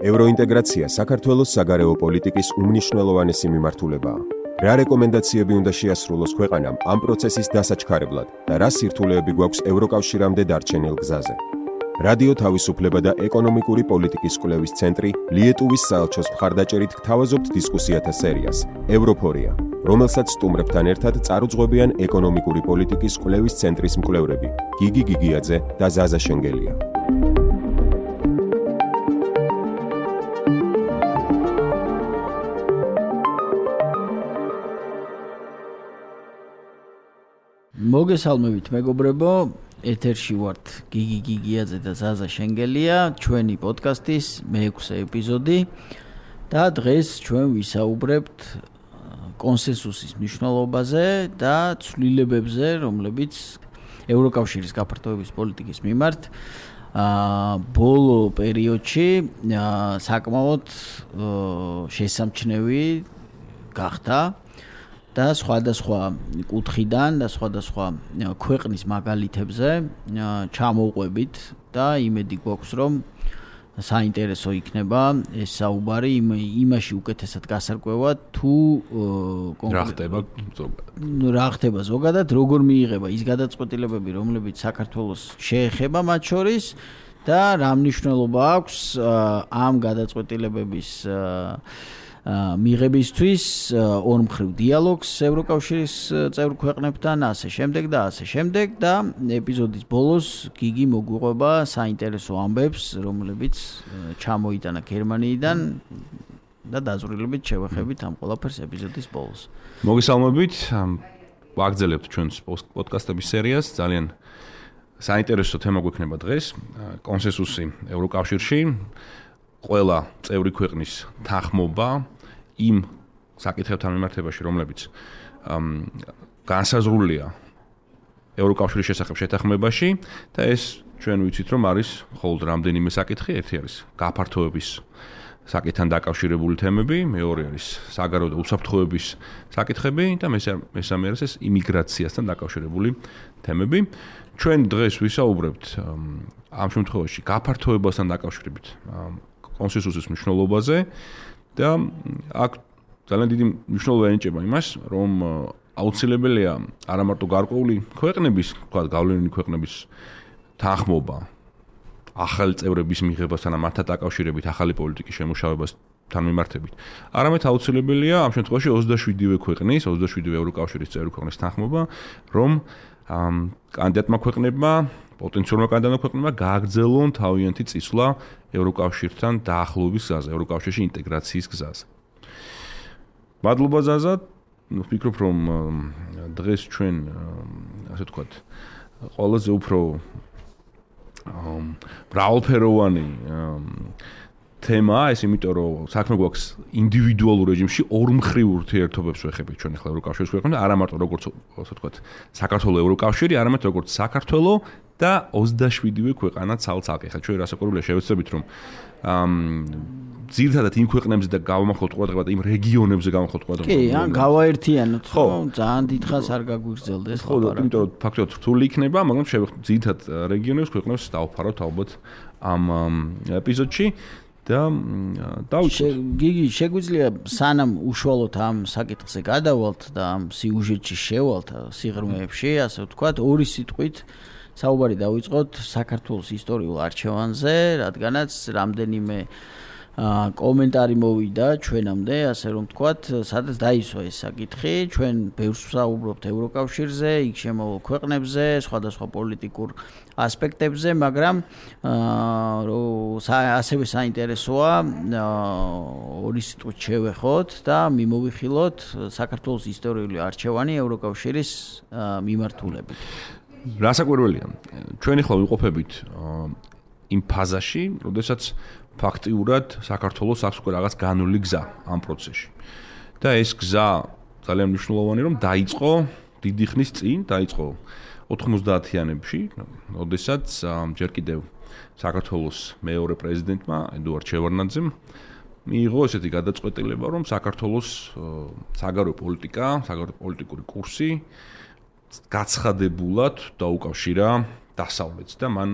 ევროინტეგრაცია საქართველოს საგარეო პოლიტიკის უმნიშვნელოვანესი მიმართულებაა. რა რეკომენდაციები უნდა შეასრულოს ქვეყანამ ამ პროცესის დასაჩქარებლად და რა სირთულეები გვაქვს ევროკავშირამდე დარჩენილ გზაზე. რადიო თავისუფლება და ეკონომიკური პოლიტიკის კვლევის ცენტრი ლიეტუვის საელჩოს მხარდაჭერით გთავაზობთ დისკუსიათა სერიას ევროფორია, რომელსაც სტუმრებთან ერთად წარუძღვებიან ეკონომიკური პოლიტიკის კვლევის ცენტრის მკვლევრები გიგი გიგიაძე და ზაზა შენგელია. მოგესალმებით მეგობრებო, ეთერში ვართ გიგი გიგიაძე და ზაზა შენგელია, ჩვენი პოდკასტის მე-6 ეპიზოდი და დღეს ჩვენ ვისაუბრებთ კონსენსუსის მნიშვნელობაზე და ცვლილებებზე, რომლებიც ევროკავშირის გაფართოების პოლიტიკის მიმართ ბოლო პერიოდში საკმაოდ შესამჩნევი გახდა. და სხვადასხვა კუთხიდან და სხვადასხვა ქვეყნის მაგალითებზე ჩამოვყვებით და იმედი გვაქვს, რომ საინტერესო იქნება ეს საუბარი იმაში უკეთესად გასარკვევად თუ რა ხდება ზოგადად, როგორ მიიღება ის გადაწყვეტილებები, რომლებიც საქართველოს შეეხება მათ შორის და რა მნიშვნელობა აქვს ამ გადაწყვეტილებების მიღებისთვის ორმხრივ დიალოგს ევროკავშირის წევრ ქვეყნებთან, ასე შემდეგ და ეპიზოდის ბოლოს გიგი მოგვიყვება საინტერესო ამბებს, რომლებიც ჩამოიტანა გერმანიიდან და დაზრდილებით შევეხებით ამ ყველაფერს ეპიზოდის ბოლოს. მოგესალმებით, ვაგრძელებთ ჩვენს პოდკასტების სერიას, ძალიან საინტერესო თემა გვექნება დღეს, კონსენსუსი ევროკავშირში, ყველა წევრი ქვეყნის თანხმობა იმ საკითხებთან მიმართებაში, რომლებიც განსაზღვრულია ევროკავშირის შესახებ შეთანხმებაში და ეს ჩვენ ვიცით, რომ არის მხოლოდ რამდენიმე საკითხი, ერთი არის გაფართოების საკითხთან დაკავშირებული თემები, მეორე არის საგარეო და უსაფრთხოების საკითხები და მესამე არის ეს იმიგრაციასთან დაკავშირებული თემები. ჩვენ დღეს ვისაუბრებთ ამ შემთხვევაში გაფართოებასთან დაკავშირებით კონსენსუსის მნიშვნელობაზე და აქ ძალიან დიდი მნიშვნელობა ენიჭება იმას, რომ აუცილებელია არა მარტო გარკვეული ქვეყნების, თქვათ გავლენილი ქვეყნების თანხმობა ახალი წევრების მიღებასთან და მათთან დაკავშირებით ახალი პოლიტიკის შემუშავებასთან მიმართებით, არამედ აუცილებელია ამ შემთხვევაში 27-ვე ქვეყნის, 27-ვე ევროკავშირის წევრი ქვეყნის თანხმობა, რომ კანდიდატმა ქვეყნებმა პოტენციალურმა კანდიდატმა ქვეყნებმა გააგრძელონ თავიანთი წინსვლა ევროკავშირთან დაახლოების გზაზე, ევროკავშირში ინტეგრაციის გზაზე. მადლობა ზაზა, ვფიქრობ, რომ დღეს ჩვენ ასე ვთქვათ, ყველაზე უფრო მრავალფეროვანი თემაა ეს, იმიტომ რომ საქმე გვაქვს ინდივიდუალურ რეჟიმში ორმხრივ ურთიერთობებს ვეხებით ჩვენ ახლა ევროკავშირის ქვეყნებთან, არა მარტო როგორც ასე ვთქვათ, საქართველოს ევროკავშირი, არამედ როგორც საქართველოს და 27-ვე ქვეყანა ცალ-ცალკე. ხა ჩვენ რასაკვირველია შევეცდებით, რომ ძირითადად იმ ქვეყნებზე და გავამახვილოთ ყურადღება და იმ რეგიონებზე გავამახვილოთ ყურადღება. კი, ან გავაერთიანოთ, ხო, ძალიან დიდხანს არ გაგვიგრძელდეს ხო, იმიტომ რომ ფაქტობრივად რთული იქნება, მაგრამ შევეხოთ ძირითადად რეგიონებს, ქვეყნებს დავფაროთ ალბათ ამ ეპიზოდში. და გიგი, შეგვიძლია სანამ უშუალოდ ამ საკითხზე გადავალთ და ამ სიუჟეტში შევალთ, სიღრმეებში, ასე ვთქვათ, ორი სიტყვით საუბარი დავიწყოთ საქართველოს ისტორიულ არჩევანზე, რადგანაც რამდენიმე კომენტარი მოვიდა ჩვენამდე, ასე რომ ვთქვათ, სადაც დაისვა ეს საკითხი, ჩვენ ბევრს ვსაუბრობთ ევროკავშირზე, იქ შემოვალ ქვეყნებზე, სხვადასხვა პოლიტიკურ ასპექტებზე, მაგრამ ასევე საინტერესოა ორი სიტყვით შევეხოთ და მიმოვიხილოთ საქართველოს ისტორიული არჩევანი ევროკავშირის მიმართულებით. რასაკვირველია, ჩვენ ახლა ვიყოფებით იმ ფაზაში, როდესაც ფაქტიურად საქართველოს აქვს უკვე რაღაც განული გზა ამ პროცესში. და ეს გზა ძალიან მნიშვნელოვანი, რომ დაიწყო დიდი ხნის წინ, დაიწყო 90-იანებში, როდესაც ჯერ კიდევ საქართველოს მეორე პრეზიდენტმა ედუარდ შევარდნაძემ მიიღო ესეთი გადაწყვეტილება, რომ საქართველოს საგარეო პოლიტიკა, საგარეო პოლიტიკური კურსი გაცხადებულად დაუკავშირა დასავლეთს და მან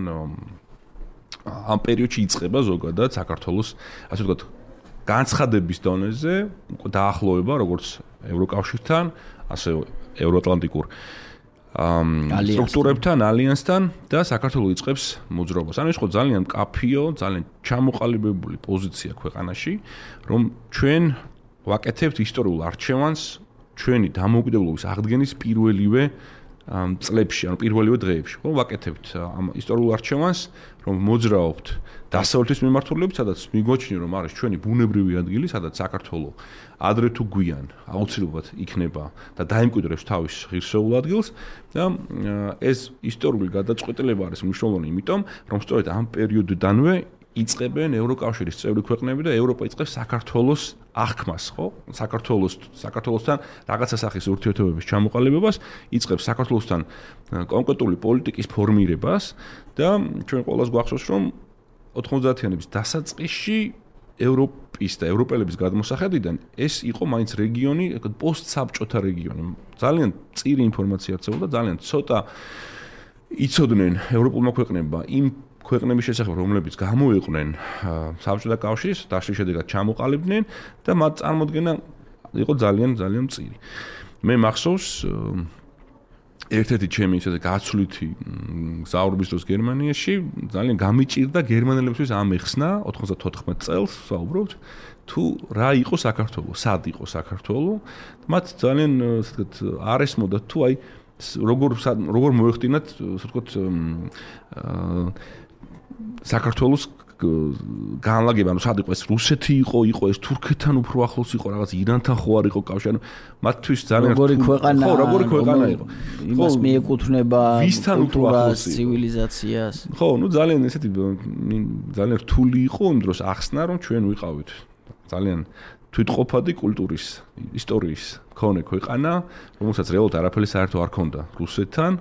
ამ პერიოდში იწყება ზოგადად საქართველოს ასე ვთქვათ განცხადების დონეზე დაახლოება როგორც ევროკავშირთან, ასე ევროატლანტიკურ სტრუქტურებთან, ალიანსთან და საქართველოს იწყებს მოძრაობას. ანუ ის ხო ძალიან მკაფიო, ძალიან ჩამოყალიბებული პოზიცია ქვეყანაში, რომ ჩვენ ვაკეთებთ ისტორიულ არჩევანს ჩვენი დამოუკიდებლობის აღდგენის პირველივე წლებში, ანუ პირველივე დღეებში, ხო, ვაკეთებთ ამ ისტორიულ არჩევანს, რომ მოძრაობთ დასავლეთის მიმართულებით, სადაც მიგოჩნი, რომ არის ჩვენი ბუნებრივი ადგილი, სადაც საქართველოს ადრე თუ გვიან აუცილებლად იქნება და დაიმკვიდრებს თავის ღირსეულ ადგილს და ეს ისტორიული გადაწყვეტილება არის მნიშვნელოვანი, იმიტომ რომ სწორედ ამ პერიოდიდანვე იწყებენ ევროკავშირის წევრი ქვეყნები და ევროპა იწყებს საქართველოს აღქმას, ხო? საქართველოსთან რაღაცა სახის ურთიერთობების ჩამოყალიბებას, იწყებს საქართველოსთან კონკრეტული პოლიტიკის ფორმირებას და ჩვენ ყველას გვახსოვს, რომ 90-იანების დასაწყისში ევროპის და ევროპელების გადმოსახედიდან ეს იყო მაინც რეგიონი, პოსტსაბჭოთა რეგიონი. ძალიან წირი ინფორმაცია არსებობდა, ძალიან ცოტა იცოდნენ ევროპულმა ქვეყნებმა იმ ქვეყნების შესახებ, რომლებიც გამოიყვნენ საბჭოთა კავშირის, დაშლის შედეგად ჩამოყალიბდნენ და მათ წარმოდგენა იყო ძალიან მწირი. მე მახსოვს ერთ-ერთი ჩემი ისე გაცვლითი გზავრობის დროს გერმანიაში ძალიან გამიჭირდა გერმანელებისთვის ამეხსნა 94 წელს ვსაუბრობთ თუ რა იყო საქართველო, სად იყო საქართველო. მათ ძალიან ასე ვთქვათ არ ესმოდა თუ აი როგორ მოეხდინათ ასე ვთქვათ საქართველოს განლაგება, ანუ სად იყო ეს რუსეთი იყო ეს თურქეთთან უფრო ახლოს იყო, რაღაც ირანთან ხო არ იყო კავშირი, ანუ მათთვის ძალიან როგორი ქვეყანა იყო. იმას მიეკუთვნება კულტურას, ცივილიზაციას. ხო, ნუ ძალიან ესეთი ძალიან რთული იყო იმ დროს ახსნა, რომ ჩვენ ვიყავით ძალიან თვითყოფადი კულტურის, ისტორიის მქონე ქვეყანა, რომელსაც რეალურად არაფერი საერთო არ ჰქონდა რუსეთთან,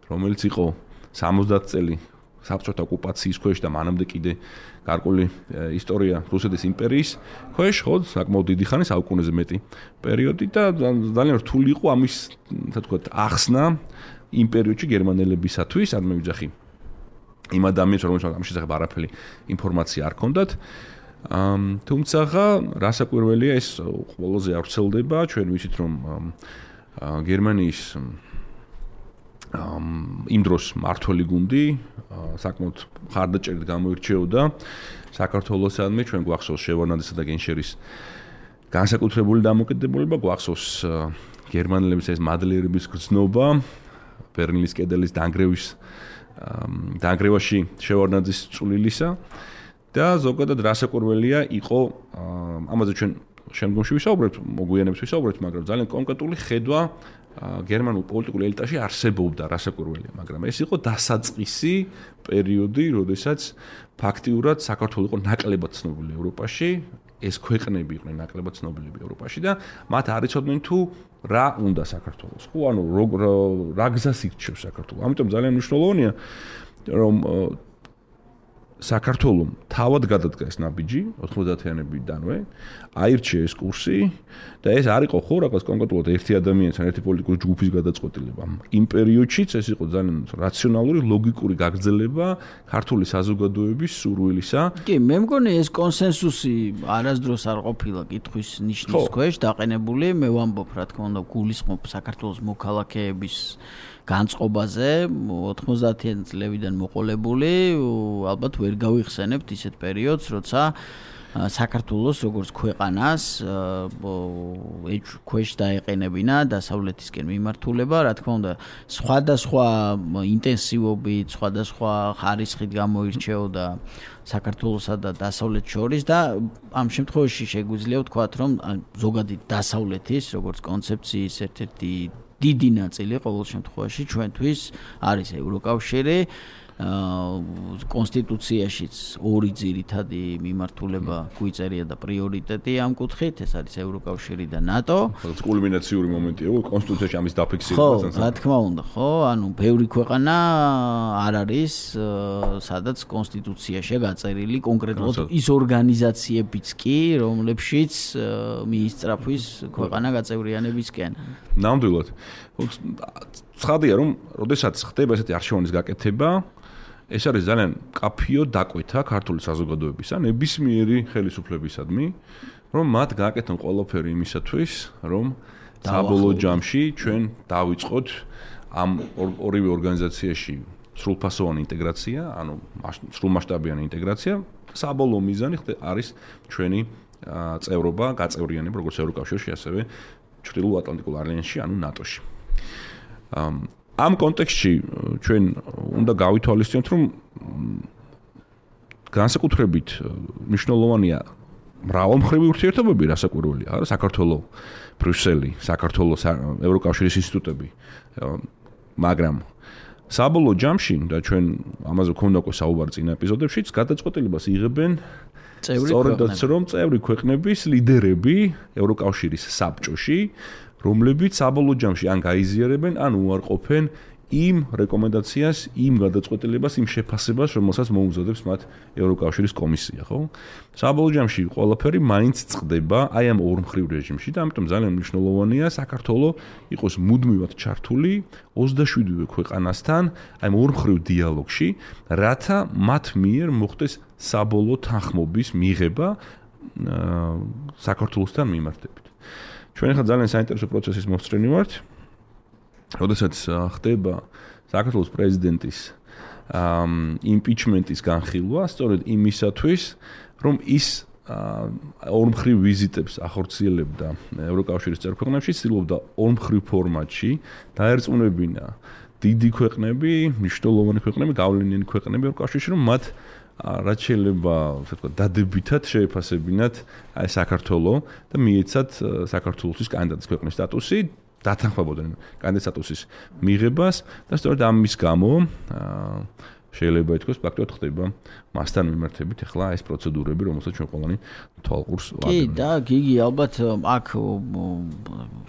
რომელიც იყო 70 წელი საბჭოთა ოკუპაციის ქვეშ და მანამდე კიდე გარკვეული ისტორია რუსეთის იმპერიის ქვეშ, ხო, საკმაოდ დიდი ხანი, საუკუნეზე მეტი პერიოდი და ძალიან რთული იყო ამის, ასე ვთქვათ, ახსნა იმ პერიოდში გერმანელებისათვის, არ მე ვიძახი იმ ადამიანს, რომელსაც ამ შესახებ არაფერი ინფორმაცია არ ჰქონდათ. თუმცა რასაკვირველია ეს ყველაზე არ ვრცელდება, ჩვენ ვიცით რომ გერმანიის იმ დროს მართველი გუნდი საკმაოდ ხარდაჭერით გამოირჩეოდა საქართველოსადმი, ჩვენ გვახსოვს შევარნაძისა და გენშერის განსაკუთრებული დამოკიდებულება, გვახსოვს გერმანელების ეს მადლიერების გრძნობა, ბერლინის კედელის დანგრევაში შევარნაძის წვლილისა და ზოგადად რასაკვირველია იყო ამაზე ჩვენ შემდგომში ვისაუბრებთ, მოგვიანებით ვისაუბრებთ, მაგრამ ძალიან კონკრეტული ხედვა გერმანულ პოლიტიკურ ელიტაში არსებობდა რასაკვირველია, მაგრამ ეს იყო დასაწყისი პერიოდი, როდესაც ფაქტიურად საქართველოს იყო ნაკლებად ცნობილი ევროპაში, ეს ქვეყნები იყვნენ ნაკლებად ცნობილები ევროპაში და მათ არ იცოდნენ თუ რა უნდა საქართველოს. ხო, ანუ რა გზას ირჩევს საქართველო. ამიტომ ძალიან მნიშვნელოვანია, რომ საქართველოს თავად გადადგა ეს ნაბიჯი 90-იანებიდანვე, აირჩია ეს კურსი და ეს არ იყო ხო რაღაც კონკრეტულად ერთი ადამიანის ან ერთი პოლიტიკური ჯგუფის გადაწყვეტილება. იმ პერიოდშიც ეს იყო ძალიან რაციონალური, ლოგიკური გაგრძელება ქართული საზოგადოების სურვილისა. კი, მე მგონი ეს კონსენსუსი არასდროს არ ყოფილა კითხვის ნიშნის ქვეშ დაყენებული. მე ვამბობ, რა თქმა უნდა, გულისხმობ საქართველოს მოქალაქეების განწყობაზე 90-იან წლებიდან მოყოლებული, ალბათ ვერ გავიხსენებთ ისეთ პერიოდს, როცა საქართველოს როგორც ქვეყანას ქვეშ დაეყენებინა დასავლეთისკენ მიმართულება, რა თქმა უნდა, სხვადასხვა ინტენსივობით, სხვადასხვა ხარისხით გამოირჩეოდა საქართველოსა და დასავლეთ შორის და ამ შემთხვევაში შეგვიძლია ვთქვათ, რომ ზოგადად დასავლეთის როგორც კონცეფციის ერთ-ერთი დიდი ნაწილი ყოველ შემთხვევაში ჩვენთვის არის ევროკავშირი. კონსტიტუციაშიც ორი ძირითადი მიმართულება გვიწერია და პრიორიტეტი ამ კუთხით, ეს არის ევროკავშირი და ნატო. კულმინაციური მომენტია, კონსტიტუციაში ამის დაფიქსირება. ხო, რა თქმა უნდა, ხო, ანუ ბევრი ქვეყანა არ არის, სადაც კონსტიტუციაშია გაწერილი კონკრეტულად ის ორგანიზაციებიც კი, რომლებშიც მიისწრაფვის ქვეყანა გაწევრიანებისკენ. ნამდვილად. ცხადია, რომ როდესაც ხდება ესეთი არჩევანის გაკეთება, ეს არის ძალიან კაფიო დაკვეთა ქართული საზოგადოების ან ნებისმიერი ხელისუფლებისადმი, რომ მათ გააკეთონ ყველაფერი იმისათვის, რომ საბოლოო ჯამში ჩვენ დავიწყოთ ამ ორივე ორგანიზაციაში სრულფასოვანი ინტეგრაცია, ანუ სრულმასშტაბიანი ინტეგრაცია, საბოლოო მიზანი არის ჩვენი წევრობა, გაწევრიანება როგორც ევროკავშირში, ასევე ჩრდილოატლანტიკურ ალიანსში, ანუ ნატოში. ამ კონტექსტში ჩვენ უნდა გავითვალისწინოთ, რომ განსაკუთრებით მნიშვნელოვანია მრავალმხრივი ურთიერთობები, რასაკვირველია, არა საქართველოს, ბრიუსელი, საქართველოს ევროკავშირის ინსტიტუტები, მაგრამ საბოლოო ჯამში და ჩვენ ამაზე გვქონდა უკვე საუბარი წინა ეპიზოდებშიც, გადაწყვეტილებას იღებენ სწორედაც რომ წევრი ქვეყნების ლიდერები ევროკავშირის საბჭოში, რომლებიც საბოლოო ჯამში ან გაიზიარებენ, ან უარყოფენ იმ რეკომენდაციას, იმ გადაწყვეტილებას, იმ შეფასებას, რომელსაც მოუზადებს მათ ევროკავშირის კომისია, ხო? საბოლოო ჯამში ყველაფერი მაინც წყდება აი ამ ორმხრივ რეჟიმში და ამიტომ ძალიან მნიშვნელოვანია საქართველოს იყოს მუდმივად ჩართული 27-ვე ქვეყანასთან აი ამ ორმხრივ დიალოგში, რათა მათ მიერ მოხდეს საბოლოო თანხმობის მიღება საქართველოსთან მიმართებით. ჩვენ ახლა ძალიან საინტერესო პროცესის მოსწრენი ვართ. როდესაც ხდება საქართველოს პრეზიდენტის იმპიჩმენტის განხილვა, სწორედ იმისათვის, რომ ის ორმხრივ ვიზიტებს ახორციელებდა ევროკავშირის წევრ-ქვეყნებში, ცდილობდა ორმხრივ ფორმატში დაერწმუნებინა დიდი ქვეყნები, მნიშვნელოვანი ქვეყნები, გავლენიანი ქვეყნები ევროკავშირში, რომ მათ რაც შეიძლება, ასე ვთქვათ, დადებითად შეეფასებინათ აი საქართველოს და მიეცათ საქართველოსთვის კანდიდატის ქვეყნის სტატუსი. დათანხმებოდნენ კანდიდატის სტატუსის მიღებას და სწორედ ამის გამო შეიძლება ითქვას ფაქტობრივად ხდება მასთან მიმართებით ახლა ეს პროცედურები, რომელსაც ჩვენ ყველანი თვალყურს ვაგებთ. კი, და გიგი ალბათ აქ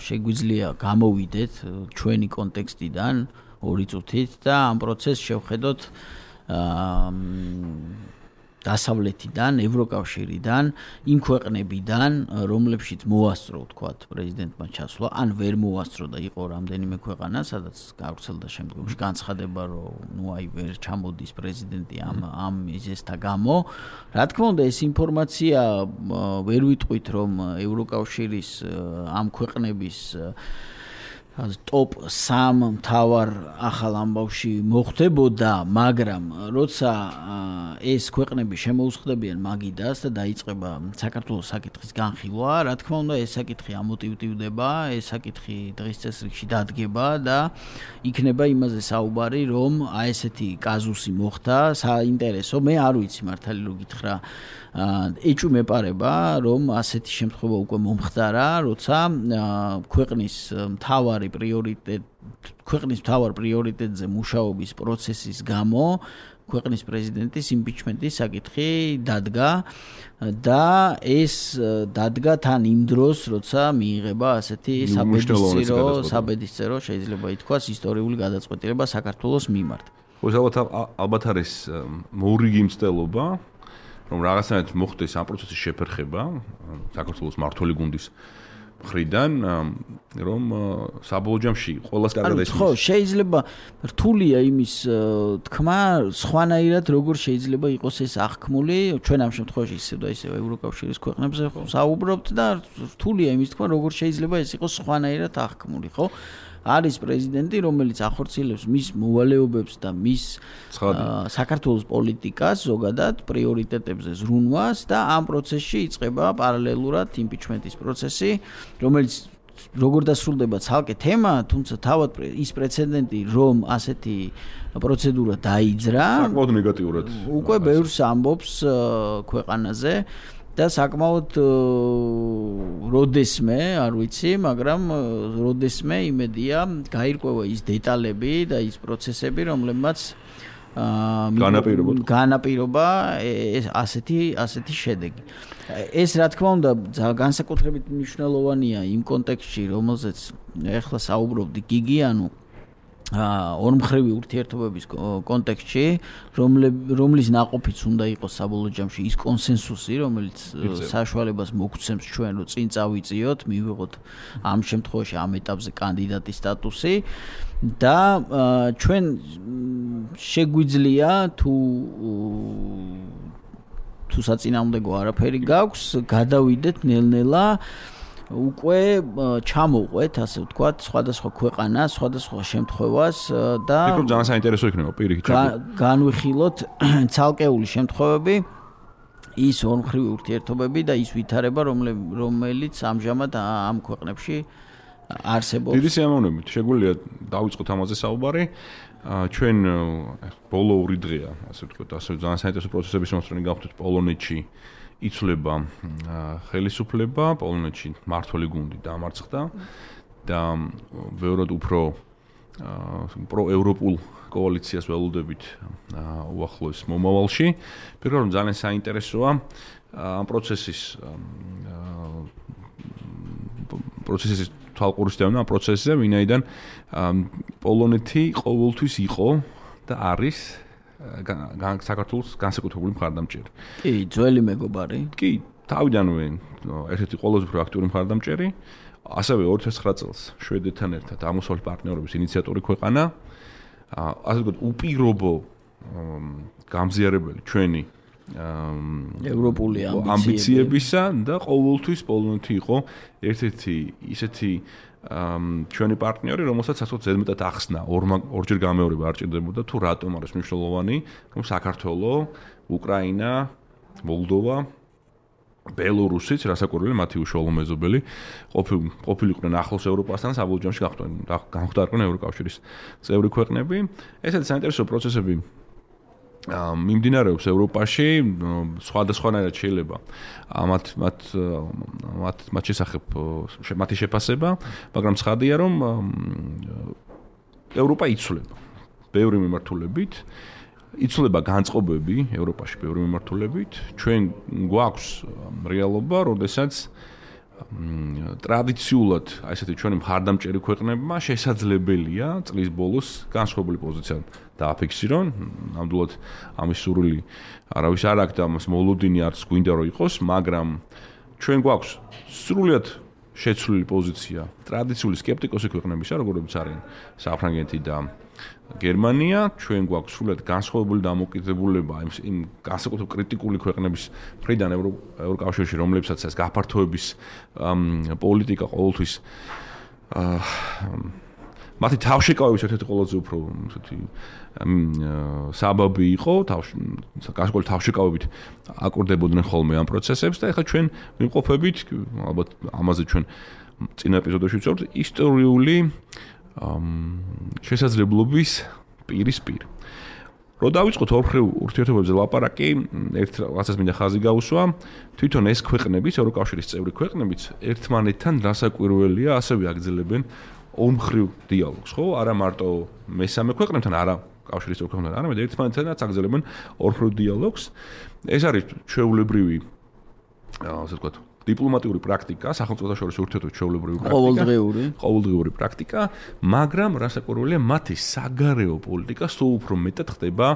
შეგვიძლია გამოვიდეთ ჩვენი კონტექსტიდან 2 წუთით და ამ პროცესს შევხედოთ დასავლეთიდან, ევროკავშირიდან, იმ ქვეყნებიდან, რომლებშიც მოასწრო, თქვათ, პრეზიდენტმა ჩასვლა, ან ვერ მოასწრო და იყო რამდენიმე ქვეყანა, სადაც გავრცელდა შემდგომში განცხადება, რომ ნუ აი ვერ ჩამოდის პრეზიდენტი ამ მიზეზთა გამო. რა თქმა უნდა, ეს ინფორმაცია ვერ ვიტყვით, რომ ევროკავშირის ამ ქვეყნების ტოპ 3 მთავარ ახალ ამბავში მოხდებოდა, მაგრამ როცა ეს ქვეყნები შემოუხდებიან მაგიდას და დაიწყება საქართველოს საკითხის განხილვა, რა თქმა უნდა, ეს საკითხი ამოტივტივდება, ეს საკითხი დღის წესრიგში დადგება და იქნება იმაზე საუბარი, რომ აი ესეთი კაზუსი მოხდა, საინტერესო, მე არ ვიცი მართალი რო გითხრა, ეჭვი მეპარება, რომ ასეთი შემთხვევა უკვე მომხდარა, როცა ქვეყნის მთავარ პრიორიტეტზე მუშაობის პროცესის გამო ქვეყნის პრეზიდენტის იმპიჩმენტის საკითხი დადგა და ეს დადგა თან იმ დროს, როცა მიიღება ასეთი საბედისწერო, შეიძლება ითქვას, ისტორიული გადაწყვეტილება საქართველოს მიმართ. ხო, ალბათ არის მოურიგი მცდელობა, რომ რაღაცნაირად მოხდეს ამ პროცესის შეფერხება საქართველოს მმართველი გუნდის მხრიდან, რომ საბოლოო ჯამში ყველას კარგად ესმის. ხო, შეიძლება რთულია იმის თქმა, სხვანაირად როგორ შეიძლება იყოს ეს აღქმული, ჩვენ ამ შემთხვევაში ისევ და ისევ ევროკავშირის ქვეყნებზე საუბრობთ და რთულია იმის თქმა, როგორ შეიძლება ეს იყოს სხვანაირად აღქმული, ხო? არის პრეზიდენტი, რომელიც ახორციელებს მის მოვალეობებს და მის საქართველოს პოლიტიკას ზოგადად პრიორიტეტებზე ზრუნვას და ამ პროცესში იწყება პარალელურად იმპიჩმენტის პროცესი, რომელიც როგორ დასრულდება ცალკე თემა, თუმცა თავად ის პრეცედენტი, რომ ასეთი პროცედურა დაიძრა, საკმაოდ ნეგატიურად უკვე ბევრს ამბობს ქვეყანაზე. და საკმაოდ როდესმე, არ ვიცი, მაგრამ როდესმე იმედია გაირკვევა ის დეტალები და ის პროცესები, რომლებმაც განაპირობა ასეთი შედეგი. ეს რა თქმა უნდა განსაკუთრებით მნიშვნელოვანია იმ კონტექსტში, რომელზეც ახლა საუბრობდი გიგი, ანუ ორმხრივი ურთიერთობების კონტექსტში, რომლის ნაყოფიც უნდა იყოს საბოლოო ჯამში ის კონსენსუსი, რომელიც საშუალებას მოგცემს ჩვენ, რომ წინ წავიწიოთ, მივიღოთ ამ შემთხვევაში ამ ეტაპზე კანდიდატის სტატუსი და ჩვენ შეგვიძლია თუ საწინააღმდეგო არაფერი გაქვს, გადავიდეთ ნელ-ნელა უკვე ჩამოვყვეთ, ასე ვთქვათ, სხვადასხვა ქვეყანას, სხვადასხვა შემთხვევას და იქ ძალიან საინტერესო იქნება პირიქით. განვიხილოთ ცალკეული შემთხვევები, ის ორმხრივი ურთიერთობები და ის ვითარება, რომელიც ამჟამად ამ ქვეყნებში არსებობს. დიდი სიამოვნებით შეგვიძლია დავიწყოთ ამაზე საუბარი. ჩვენ ბოლო 2 დღეა, ასე ვთქვათ, ასე ძალიან საინტერესო პროცესების მომსწრენი გავხდით პოლონეთში. იცვლება ხელისუფლება, პოლონეთში მმართველი გუნდი დამარცხდა და ბევრად უფრო პროევროპულ კოალიციას ველოდებით უახლოეს მომავალში. პირველ რიგში ძალიან საინტერესოა ამ პროცესის თვალყურის დევნა ამ პროცესზე, ვინაიდან პოლონეთი ყოველთვის იყო და არის საქართველოს განსაკუთრებული მხარდამჭერი. კი, ძველი მეგობარი. კი, თავიდანვე ერთ-ერთი ყველაზე უფრო აქტიური მხარდამჭერი, ასევე 2009 წელს შვედეთთან ერთად აღმოსავლეთ პარტნიორობის ინიციატორი ქვეყანა, ასე ვთქვათ, უპირობო გამზიარებელი ჩვენი ევროპული ამბიციებისა და ყოველთვის პოლონეთი იყო ერთ-ერთი ისეთი ჩვენი პარტნიორი, რომელსაც ასე ზედმეტად ახსნა, ორჯერ გამეორება არ ჭირდებოდა თუ რატომ არის მნიშვნელოვანი, რომ საქართველო, უკრაინა, მოლდოვა, ბელორუსიც, რასაკვირველია, მათი უშუალო მეზობელი, ყოფილიყვნენ ახლოს ევროპასთან, საბოლოო ჯამში განხდარდნენ ევროკავშირის წევრი ქვეყნები. ეს არის საინტერესო პროცესები. მიმდინარეობს ევროპაში, სხვადასხვანაირად შეიძლება მათ შესახებ მათი შეფასება, მაგრამ ცხადია, რომ ევროპა იცვლება ბევრი მიმართულებით, იცვლება განწყობები ევროპაში ბევრი მიმართულებით. ჩვენ გვაქვს რეალობა, როდესაც ტრადიციულად ესეთი ჩვენი მხარდამჭერი ქვეყნებმა შესაძლებელია წლის ბოლოს განსხვავებული პოზიცია დააფიქსირონ. ნამდვილად ამის სურვილი არავის არ აქვს და ამას მოლოდინი არც გვინდა რომ იყოს, მაგრამ ჩვენ გვაქვს სრულიად შეცვლილი პოზიცია ტრადიციული სკეპტიკოსი ქვეყნებისა, როგორიც არიან საფრანგეთი და გერმანია. ჩვენ გვაქვს სრულიად განსხვავებული დამოკიდებულება იმ განსაკუთრებით კრიტიკული ქვეყნების მხრიდან ევროკავშირში, რომლებსაც ეს გაფართოების პოლიტიკა ყოველთვის მათი თავშეკავების ერთ-ერთი ყველაზე უფრო ესეთი საბაბი იყო, განსაკუთრებით თავშეკავებით აკურდებოდნენ ხოლმე ამ პროცესებს და ეხლა ჩვენ ვიმყოფებით, ალბათ ამაზე ჩვენ წინა ეპიზოდებში ვწევთ, ისტორიული შესაძლებლობის პირისპირ. რო დავიწყოთ ორხრივ ურთიერთობებზე ლაპარაკი, ერთ რაღაცას მინდა ხაზი გაუსვა, თვითონ ეს ქვეყნებიც, ევროკავშირის წევრი ქვეყნებიც ერთმანეთთან რასაკვირველია, ასევე აგრძელებენ ორმხრივ დიალოგს, ხო? არა მარტო მესამე ქვეყნებთან, არა კავშირის წევრი ქვეყნებთან, არამედ ერთმანეთთანაც აგრძელებენ ორმხრივ დიალოგს. ეს არის ჩვეულებრივი, ასე ვთქვათ, დიპლომატიური პრაქტიკა, სახელმწიფოთა შორის ურთიერთობის ჩვეულებრივი პრაქტიკა, ყოველდღიური პრაქტიკა, მაგრამ რასაკვირველია, მათი საგარეო პოლიტიკა სულ უფრო მეტად ხდება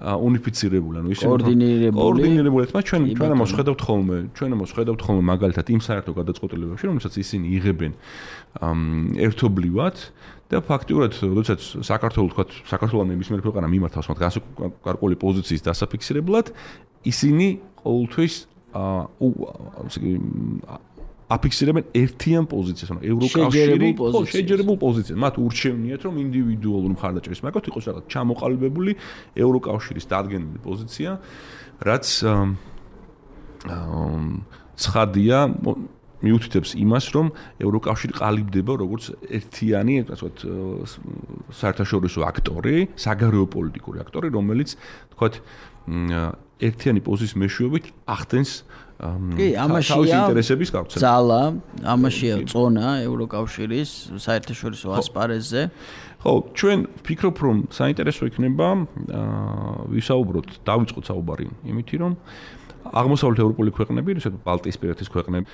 უნიფიცირებული, ანუ ისე კოორდინირებული. ჩვენ ამოხედავთ ხოლმე მაგალითად იმ საერთო გადაწყვეტილებებში, რომელსაც ისინი იღებენ ერთობლივად და ფაქტიურად, როდესაც საქართველოს თქვათ, საქართველოს ნებისმიერ ქვეყანა მიმართავს მათ განსაკუთრებული პოზიციის დასაფიქსირებლად, ისინი ყოველთვის აფიქსირებენ ერთიან პოზიციას, ანუ ევროკავშირი შეჯერებულ პოზიციას. მათ ურჩევნიათ, რომ ინდივიდუალური მხარდაჭერის მაგალითად იყოს რაღაც ჩამოყალიბებული ევროკავშირის დადგენილი პოზიცია, რაც ცხადია მიუთითებს იმას, რომ ევროკავშირი ყალიბდება როგორც ერთიანი, ასე ვთქვათ, საერთაშორისო აქტორი, საგარეო პოლიტიკური აქტორი, რომელიც, თქვათ, ერთიანი პოზიციის მეშვეობით ახდენს თავის ინტერესების გავცემას. ძალა, ამაშია წონა ევროკავშირის საერთაშორისო ასპარეზზე. ხო, ჩვენ ვფიქრობ, რომ საინტერესო იქნება ვისაუბროთ, დავიწყოთ საუბარი იმითი, რომ აღმოსავლეთ ევროპული ქვეყნები, ისეთ ბალტიისპირეთის ქვეყნები,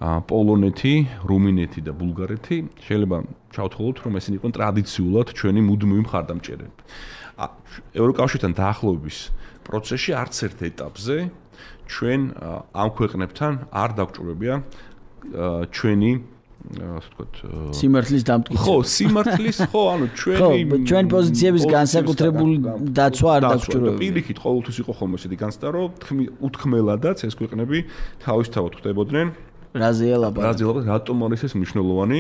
პოლონეთი, რუმინეთი და ბულგარეთი შეიძლება ჩავთვალოთ, რომ ესენი იყვნენ ტრადიციულად ჩვენი მუდმივი მხარდამჭერები. ევროკავშირთან დაახლოების პროცესში არც ერთ ეტაპზე ჩვენ ამ ქვეყნებთან არ დაგვჭირებია ჩვენი ასე ვთქვათ სიმართლის დამტკიცება. ხო, სიმართლის, ხო, ანუ ჩვენი პოზიციების განსაკუთრებული დაცვა არ დაგვჭირებია. პირიქით ყოველთვის იყო ხოლმე ესეთი განცდა, რომ უთქმელადაც ეს ქვეყნები თავისთავად ხდებოდნენ რაზეა ლაპარაკი, რატომ არის ეს მნიშვნელოვანი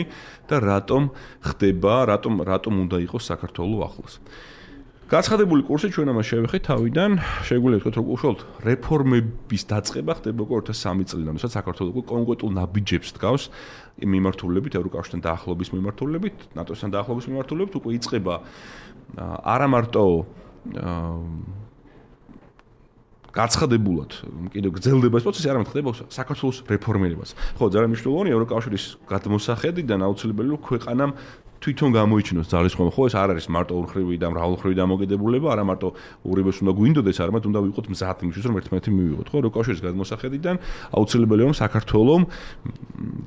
და რატომ ხდება, რატომ უნდა იყოს საქართველოს ახლოს. გაცხადებული კურსი ჩვენ ამას შევეხეთ თავიდან, შეგვიძლია ვთქვათ, რომ უშუალოდ რეფორმების დაწყება ხდება 2003 წლიდან, როდესაც საქართველოს კონკრეტულ ნაბიჯებს დგავს მიმართულებით, ევროკავშირთან დაახლოების მიმართულებით, ნატოსთან დაახლოების მიმართულებით, უკვე იწყება არა მარტო გაცხადებულად კიდევ გრძელდება ეს პროცესი, არამედ ხდება საქართველოს რეფორმირებას. ხო, ძალიან მნიშვნელოვანი ევროკავშირის გადმოსახედიდან აუცილებელია ქვეყანამ თვითონ გამოიჩინოს ძალისხმევა. ხო, ეს არ არის მარტო ორხრივი და მრავალხრივი დამოკიდებულება, არა მარტო ორივეს უნდა გვინდოდეს, არამედ უნდა ვიყოთ მზად იმისთვის, რომ ერთმანეთი მივიღოთ. ხო, ევროკავშირის გადმოსახედიდან აუცილებელია რომ საქართველოს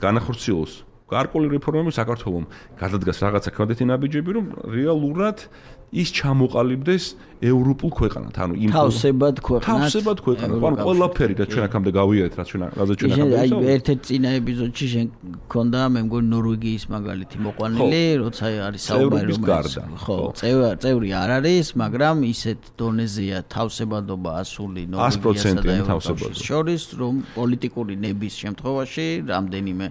განახორციელოს გარკვეული რეფორმები, საქართველოს გადადგას რაღაცა კვადრატი ნაბიჯები, რომ რეალურად ის ჩამოყალიბდეს ევროპულ ქვეყანად, ანუ იმ თავსებად ქვეყანად. ანუ ყველაფერი რაც ჩვენ აქამდე გავიარეთ, რაც ჩვენ აქამდე აი ერთ-ერთ წინა ეპიზოდში შენ გქონდა მე მგონი ნორვეგიის მაგალითი მოყვანილი, როცა არის საუბარი რომელიც ხო, წევრი არ არის, მაგრამ ისეთ დონეზეა თავსებადობა ასული ნორვეგიასა და ევროკავშირის შორის, რომ პოლიტიკური ნების შემთხვევაში რამდენიმე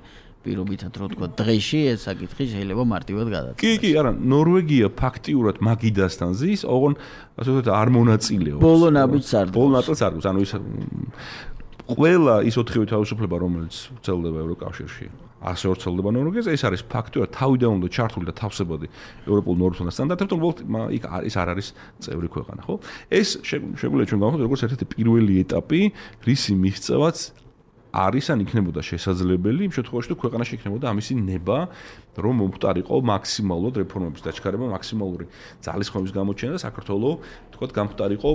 პირობითად რო თქვა დღეში ეს საკითხი შეიძლება მარტივად გადაწყვეტოს. კი, არა, ნორვეგია ფაქტიურად მაგიდასთან ზის, ოღონ ასე ვთქვათ არ მონაწილეობს. ბოლო ნაბიჯს არ დგას. ბოლო ნაწილს არ დგას, ანუ ის ყველა ის 4 თავისუფლება, რომელიც ვრცელდება ევროკავშირში, ასე ვრცელდება ნორვეგიაზე, ეს არის ფაქტიურად თავიდან უნდა ჩართული და თავსებადი ევროპულ ნორმებთან და სტანდარტებთან, უბრალოდ იქ ის არ არის წევრი ქვეყანა, ხო? ეს შეგვიძლია ჩვენ გავხსნათ როგორც ერთ-ერთი პირველი ეტაპი, რისი მიღწევაც არის ან იქნებოდა შესაძლებელი იმ შემთხვევაში თუ ქვეყანაში იქნებოდა ამისი ნება რომ მომხდარიყო მაქსიმალურად რეფორმების დაჩქარება, მაქსიმალური ძალისხმევის გამოჩენა და საქართველოს თქო გამხდარიყო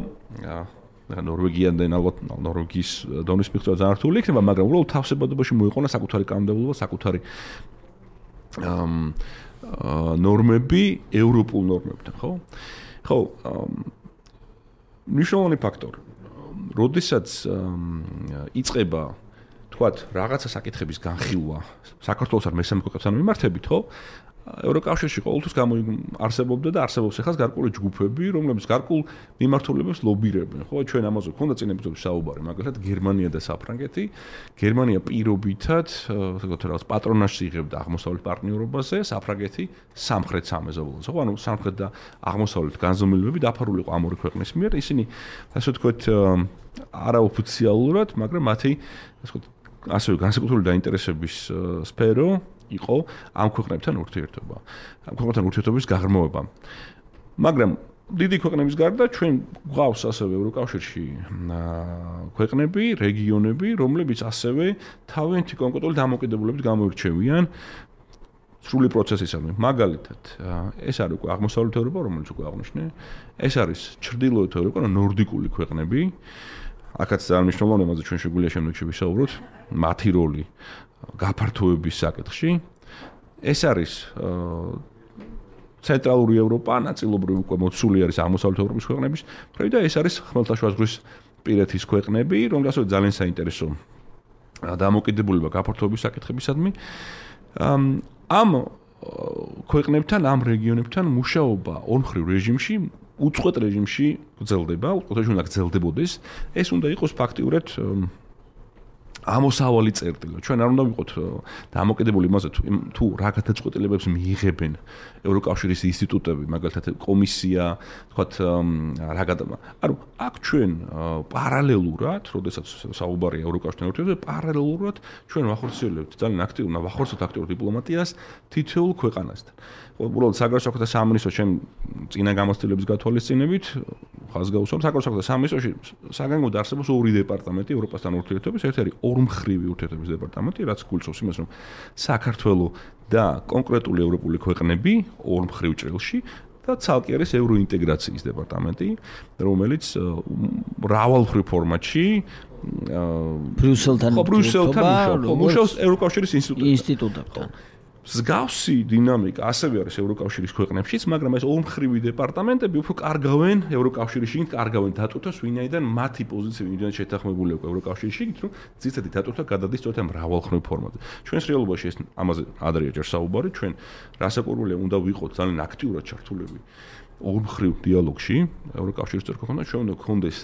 ნორვეგიიდან ალბათ ნორვეგიის დონის მიღწევა ძალიან რთული იქნება, მაგრამ უბრალოდ თავსებადობაში მოიყვანა საკუთარი კანონმდებლობა, საკუთარი ნორმები ევროპულ ნორმებთან, ხო? ხო, მნიშვნელოვანი ფაქტორი. როდესაც იწყება თქვათ რაღაცა საკითხების განხილვა საქართველოს არ მესამე ქვეყნებთან მიმართებით, ხო? ევროკავშირში ყოველთვის არსებობდა და არსებობს ახლა გარკვეული ჯგუფები, რომლებიც გარკვეულ მიმართულებებს ლობირებენ, ხო? ჩვენ ამაზე გვქონდა წინა ეპიზოდში საუბარი, მაგალითად გერმანია და საფრანგეთი. გერმანია პირობითად, ასე ვთქვათ, რაღაც პატრონაჟს იღებდა აღმოსავლეთ პარტნიორობაზე, საფრანგეთი სამხრეთ სამეზობლოზე, ხო? ანუ სამხრეთ და აღმოსავლეთ განზომილებები დაფარული იყო ამ ორი ქვეყნის მიერ. ისინი, ასე ვთქვათ, არაოფიციალურად, მაგრამ მათი, ასე ვთქვათ, ასევე განსაკუთრებული დაინტერესების სფერო იყო ამ ქვეყნებთან ურთიერთობა. ამ ქვეყნებთან ურთიერთობის გაღრმავება. მაგრამ დიდი ქვეყნების გარდა ჩვენ გვყავს ასევე ევროკავშირში ქვეყნები, რეგიონები, რომლებიც ასევე თავიანთი კონკრეტული დამოკიდებულებით გამოირჩევიან სრული პროცესისადმი. მაგალითად, ეს არის უკვე აღმოსავლეთ ევროპა, რომელიც უკვე აღნიშნე, ეს არის ჩრდილოეთ ევროპა, ნორდიკული ქვეყნები. აქაც ძალიან მნიშვნელოვანია, ამაზე ჩვენ შეგვიძლია შემდეგში ვისაუბროთ, მათი როლი გაფართოების საკითხში. ეს არის ცენტრალური ევროპა, ნაწილობრივ უკვე მოცული არის აღმოსავლეთ ევროპის ქვეყნების, და ეს არის ხმელთაშუა ზღვის პირეთის ქვეყნები, რომელთაც ძალიან საინტერესო დამოკიდებულება გაფართოების საკითხებისადმი. ამ ქვეყნებთან, ამ რეგიონებთან მუშაობა ორმხრივ რეჟიმში, უწყვეტ რეჟიმში გრძელდება, უწყვეტ რეჟიმში უნდა გრძელდებოდეს. ეს უნდა იყოს ფაქტიურად ამოსავალი წერტილი. ჩვენ არ უნდა ვიყოთ დამოკიდებული იმაზე თუ რა გადაწყვეტილებებს მიიღებენ ევროკავშირის ინსტიტუტები, მაგალითად კომისია, თქვათ ანუ აქ ჩვენ პარალელურად, როდესაც საუბარია ევროკავშირთან ურთიერთობაზე, პარალელურად ჩვენ ვახორციელებთ ძალიან აქტიურ დიპლომატიას თითოეულ ქვეყანასთან. უბრალოდ საგარეო საქმეთა სამინისტრო ჩვენ წინა გამოცდილების გათვალისწინებით ხაზგაუსვამს საგარეო საქმეთა სამინისტროში საგანგებოდ არსებობს ორი დეპარტამენტი ევროპასთან ურთიერთობის, ერთი არის ორმხრივი ურთიერთობის დეპარტამენტი, რაც გულწრფობს იმას, რომ საქართველოს და კონკრეტული ევროპული ქვეყნები ორმხრივ ჭრილში და ცალკე არის ევროინტეგრაციის დეპარტამენტი, რომელიც მრავალმხრივ ფორმატში ბრიუსელთან მუშაობს ევროკავშირის ინსტიტუტებთან. მსგავსი დინამიკა ასევე არის ევროკავშირის ქვეყნებშიც, მაგრამ ეს ორმხრივი დეპარტამენტები უფრო კარგავენ ევროკავშირში, კარგავენ დატვირთვას, ვინაიდან მათი პოზიციები იმდენად შეთანხმებული აქვს ევროკავშირში, რომ ძირითადად დატვირთვა გადადის სწორედ მრავალმხრივ ფორმატზე. ჩვენს რეალობაში ეს ამაზე ადრეა ჯერ საუბარი, ჩვენ რასაკვირველია უნდა ვიყოთ ძალიან აქტიურად ჩართულები ორმხრივ დიალოგში ევროკავშირის წევრ-ქვეყნებთან, ჩვენ უნდა გქონდეს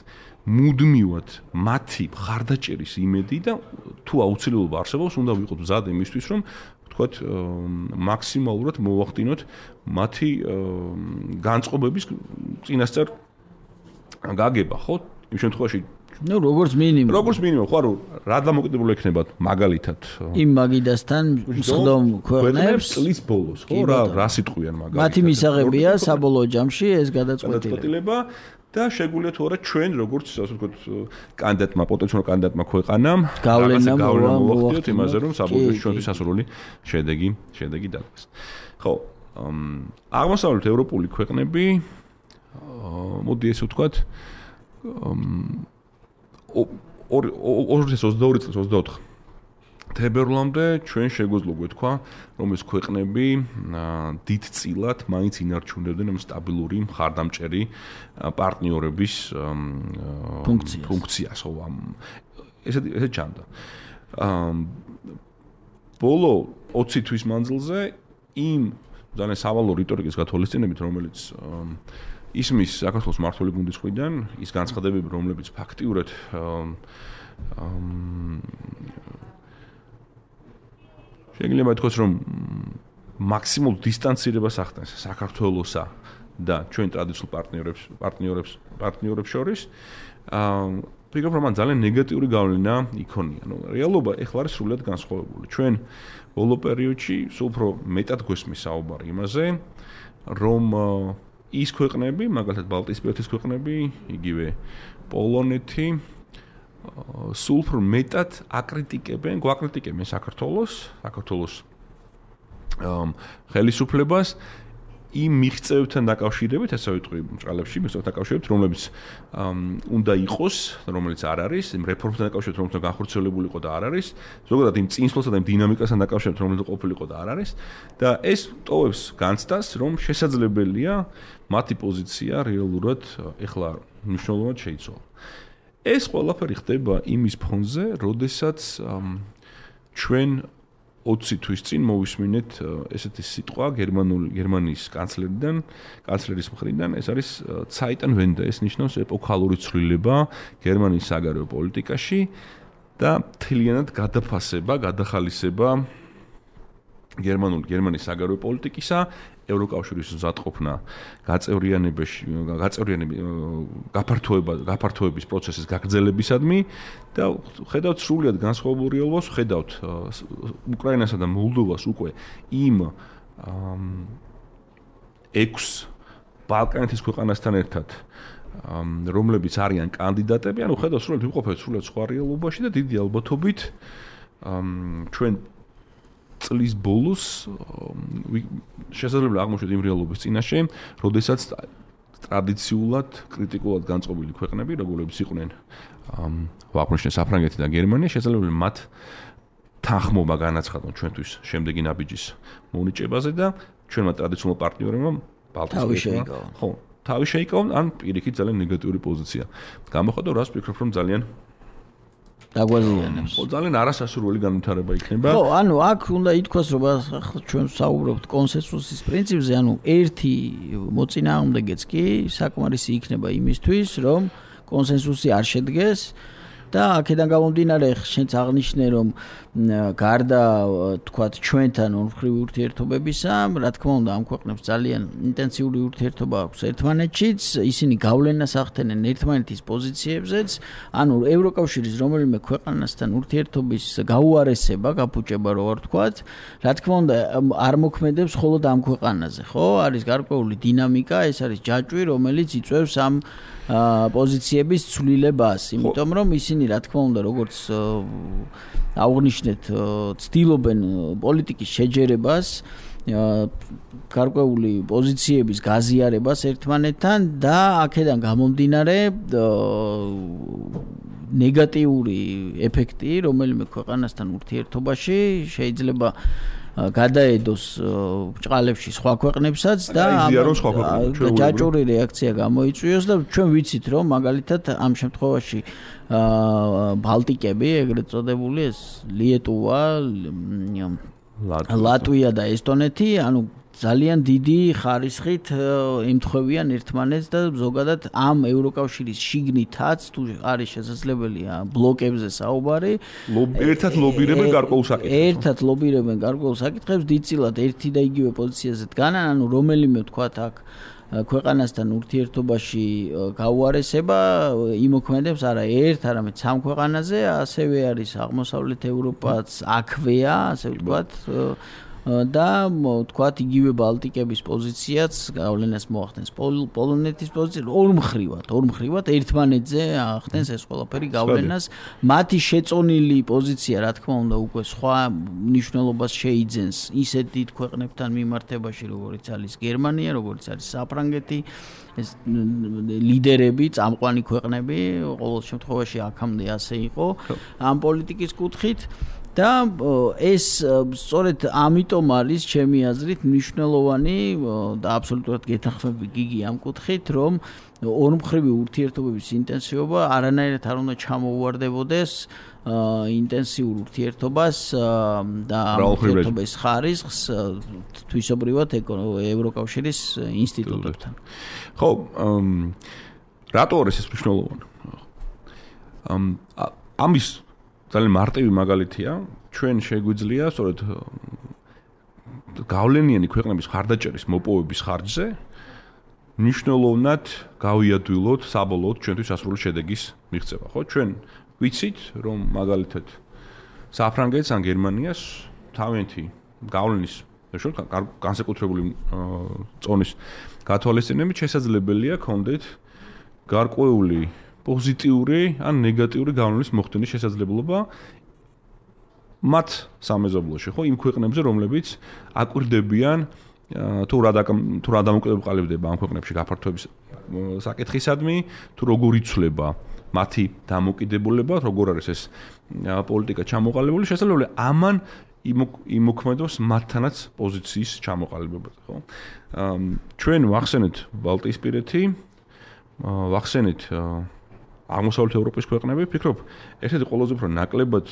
მუდმივად მათი მხარდაჭერის იმედი და თუ აუცილებლობა არსებობს, უნდა ვიყოთ მზად იმისთვის, რომ თქვათ მაქსიმალურად მოვახდინოთ მათი განწყობების წინასწარ გაგება, ხო? იმ შემთხვევაში როგორც მინიმუმ ხო, რა დამოკიდებული ექნებათ მაგალითად იმ მაგიდასთან მსხდომ ქვეყნებს წლის ბოლოს, ხო, რა სიტყვიან მაგალითად. მათი მისაღებია საბოლოო ჯამში ეს გადაწყვეტილება. და შეგვიძლია თუ არა ჩვენ როგორც ასე ვთქვათ კანდიდატმა პოტენციალურ კანდიდატმა ქვეყანამ გავლენა მოვახდინოთ იმაზე რომ საბოლოოში ჩვენთვის ასურული შედეგი დადგეს. ხო, აღმოსავლეთ ევროპული ქვეყნები მოდი ესე ვთქვათ 2022 წლის 24 თებერვლამდე ჩვენ შეგვეძლო გვეთქვა, რომ ეს ქვეყნები დიდწილად მაინც ინარჩუნებდნენ ამ სტაბილური მხარდამჭერი პარტნიორების ფუნქციას, ხო, ესე ჩანდა. ბოლო 20 თვის მანძილზე იმ ძალიან სავალო რიტორიკის გათვალისწინებით, რომელიც ისმის საქართველოს მმართველი გუნდის მხრიდან, ის განცხადებები, რომლებიც ფაქტიურად შეიძლება ითქვას, რომ მაქსიმალურ დისტანცირებას ახდენს საქართველოსა და ჩვენ ტრადიციულ პარტნიორებს შორის. ფიქრობ, რომ მან ძალიან ნეგატიური გავლენა იქონია. რეალობა ეხლა არის სრულად განსხვავებული. ჩვენ ბოლო პერიოდში სულ უფრო მეტად გვესმის საუბარი იმაზე, რომ ის ქვეყნები, მაგალითად ბალტიისპირეთის ქვეყნები, იგივე პოლონეთი სულ უფრო მეტად გვაკრიტიკებენ საქართველოს ხელისუფლებას იმ მიღწევებთან დაკავშირებით, ასე ვიტყვი, მჭრალებში, მიღწევებთან დაკავშირებით, რომლებიც უნდა იყოს, რომელიც არ არის, იმ რეფორმებთან დაკავშირებით, რომელიც განხორციელებული იყო და არ არის, ზოგადად იმ წინსვლასა და იმ დინამიკასთან დაკავშირებით, რომელიც ყოფილიყო და არ არის, და ეს ტოვებს განცდას, რომ შესაძლებელია მათი პოზიცია რეალურად ეხლა მნიშვნელოვნად შეიცვალა. ეს ყველაფერი ხდება იმის ფონზე, როდესაც ჩვენ 20 თვის წინ მოვისმინეთ ესეთი სიტყვა გერმანიის კანცლერის მხრიდან, ეს არის Zeitenwende, ეს ნიშნავს ეპოქალური ცვლილება გერმანიის საგარეო პოლიტიკაში და მთლიანად გადახალისება გერმანიის საგარეო პოლიტიკისა, ევროკავშირის მზადყოფნა გაფართოების პროცესის გაგრძელებისადმი და ხედავთ სრულიად განსხვავებულ რეალობას, ხედავთ უკრაინასა და მოლდოვას უკვე იმ 6 ბალკანეთის ქვეყანასთან ერთად, რომლებიც არიან კანდიდატები, ანუ ხედავთ სრულიად ვიყოფეთ სრულიად სხვა რეალობაში და დიდი ალბათობით ჩვენ წლის ბოლოს შესაძლებელი აღმოჩნდეთ იმ რეალობის წინაშე, როდესაც ტრადიციულად კრიტიკულად განწყობილი ქვეყნები, როგორებიც იყვნენ ვაყრნიშნე საფრანგეთი და გერმანია, შესაძლებელი მათ თანხმობა განაცხადონ ჩვენთვის შემდეგი ნაბიჯის მონიჭებაზე და ჩვენმა ტრადიციულმა პარტნიორებმა თავი შეიკავონ, ან პირიქით ძალიან ნეგატიური პოზიცია. გამოხატო, რას ვფიქრობ, რომ ძალიან დაგვაზიანებს. ძალიან არასასურველი განვითარება იქნება. ხო, ანუ აქ უნდა ითქვას, რომ ჩვენ საუბრობთ კონსენსუსის პრინციპზე, ანუ ერთი მოწინააღმდეგეც კი საკმარისი იქნება იმისთვის, რომ კონსენსუსი არ შედგეს და აქედან გამომდინარე შენც აღნიშნე, რომ გარდა თქვათ ჩვენთან ორმხრივი ურთიერთობებისა, რა თქმა უნდა, ამ ქვეყნებს ძალიან ინტენსიური ურთიერთობა აქვს ერთმანეთშიც, ისინი გავლენას ახდენენ ერთმანეთის პოზიციებზეც, ანუ ევროკავშირის რომელიმე ქვეყანასთან ურთიერთობის გაუარესება, გაფუჭება რო არ თქვათ, რა თქმა უნდა, არ მოქმედებს მხოლოდ ამ ქვეყანაზე, ხო? არის გარკვეული დინამიკა, ეს არის ჯაჭვი, რომელიც იწვევს ამ პოზიციების ცვლილებას, იმიტომ რომ ისინი რა თქმა უნდა, როგორც აღნიშნეთ, ცდილობენ პოლიტიკის შეჯერებას გარკვეული პოზიციების გაზიარებას ერთმანეთთან და აქედან გამომდინარე ნეგატიური ეფექტი რომელიმე ქვეყანასთან ურთიერთობაში შეიძლება გადაედოს ბრჭყალებში სხვა ქვეყნებსაც და ჯაჭვური რეაქცია გამოიწვიოს და ჩვენ ვიცით რომ მაგალითად ამ შემთხვევაში ბალტიკები ეგრეთ წოდებული ეს ლიეტუვა ლატვია და ესტონეთი ანუ ძალიან დიდი ხარისხით ემთხვევიან ერთმანეთს და ზოგადად ამ ევროკავშირის შიგნითაც თუ არის შესაძლებელია ბლოკებზე საუბარი ერთად ლობირებენ გარკვეულ საკითხებს დიდწილად ერთი და იგივე პოზიციაზე დგანან ანუ რომელიმე ვთქვათ აქ ქვეყანასთან ურთიერთობაში გაუარესება იმოქმედებს არა ერთ არამედ სამ ქვეყანაზე ასევე არის აღმოსავლეთ ევროპაც აქვეა ასე ვთქვათ და ვთქვათ იგივე ბალტიკების პოზიციაც გავლენას მოახდენს პოლონეთის პოზიცია ორ მხრივად ერთმანეთზე ახდენს ეს ყველაფერი გავლენას მათი შეწონილი პოზიცია რა თქმა უნდა უკვე სხვა მნიშვნელობას შეიძენს ისეთ დიდ ქვეყნებთან მიმართებაში როგორიც არის გერმანია როგორიც არის საფრანგეთი ეს ლიდერები წამყვანი ქვეყნები ყოველ შემთხვევაში აქამდე ასე იყო ამ პოლიტიკის კუთხით და ეს სწორედ ამიტომ არის ჩემი აზრით მნიშვნელოვანი და აბსოლუტურად გეთანხმები გიგი ამ კუთხით რომ ორმხრივი ურთიერთობების ინტენსივობა არანაირად არ უნდა ჩამოუვარდებოდეს ინტენსიურ ურთიერთობას და ურთიერთობის ხარისხს თვისობრივად ევროკავშირის ინსტიტუტებთან. ხო, რატო არის ეს მნიშვნელოვანი? ამის ძალიან მარტივი მაგალითია, ჩვენ შეგვიძლია სწორედ გავლენიანი ქვეყნების ხარდაჭერის მოპოვების ხარჯზე მნიშვნელოვნად გავიადვილოთ საბოლოოდ ჩვენთვის ასრული შედეგის მიღწევა, ხო? ჩვენ ვიცით, რომ მაგალითად საფრანგეთს ან გერმანიას თავიანთი გავლენის განსაკუთრებული წონის გათვალისწინებით შესაძლებელია ქონდეთ გარკვეული პოზიტიური ან ნეგატიური გავლენის მოხდენის შესაძლებლობა მათ სამეზობლოში, ხო, იმ ქვეყნებზე, რომლებიც აკვირდებიან თუ რა დამოკიდებულება ამ ქვეყნებში გაფართოების საკითხისადმი, თუ როგორ იცვლება მათი დამოკიდებულება, როგორ არის ეს პოლიტიკა ჩამოყალიბებული, შესაძლებელი ამან იმოქმედოს მათთანაც პოზიციის ჩამოყალიბებაზე, ხო? ჩვენ ვახსენეთ ბალტიისპირეთი, ვახსენეთ აღმოსავლეთ ევროპის ქვეყნები, ვფიქრობ, ერთ-ერთი ყველაზე უფრო ნაკლებად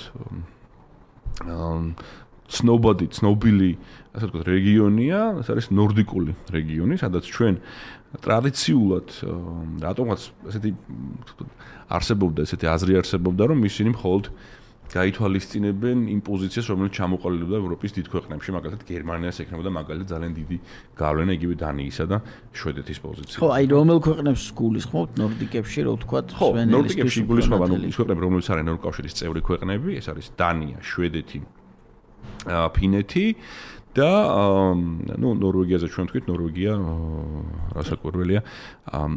ცნობილი, ასე ვთქვათ, რეგიონია, ეს არის ნორდიკული რეგიონი, სადაც ჩვენ ტრადიციულად რატომღაც ესეთი არსებობდა, ესეთი აზრი არსებობდა, რომ ისინი მხოლოდ გაითვალისწინებენ იმ პოზიციას, რომელიც ჩამოყალიბდა ევროპის დიდ ქვეყნებში, მაგალითად გერმანიას ექნებოდა მაგალითად ძალიან დიდი გავლენა იგივე დანიისა და შვედეთის პოზიცია. ხო, აი რომელ ქვეყნებს გულისხმობთ ნორდიკებში, რო ვთქვათ, სვენელის ნორდიკებში გულისხმობ, ანუ ის ქვეყნები, რომლებიც არიან ევროკავშირის წევრი ქვეყნები, ეს არის დანია, შვედეთი, ფინეთი და ნორვეგიაზე ჩვენ ვთქვით, ნორვეგია რასაკვირველია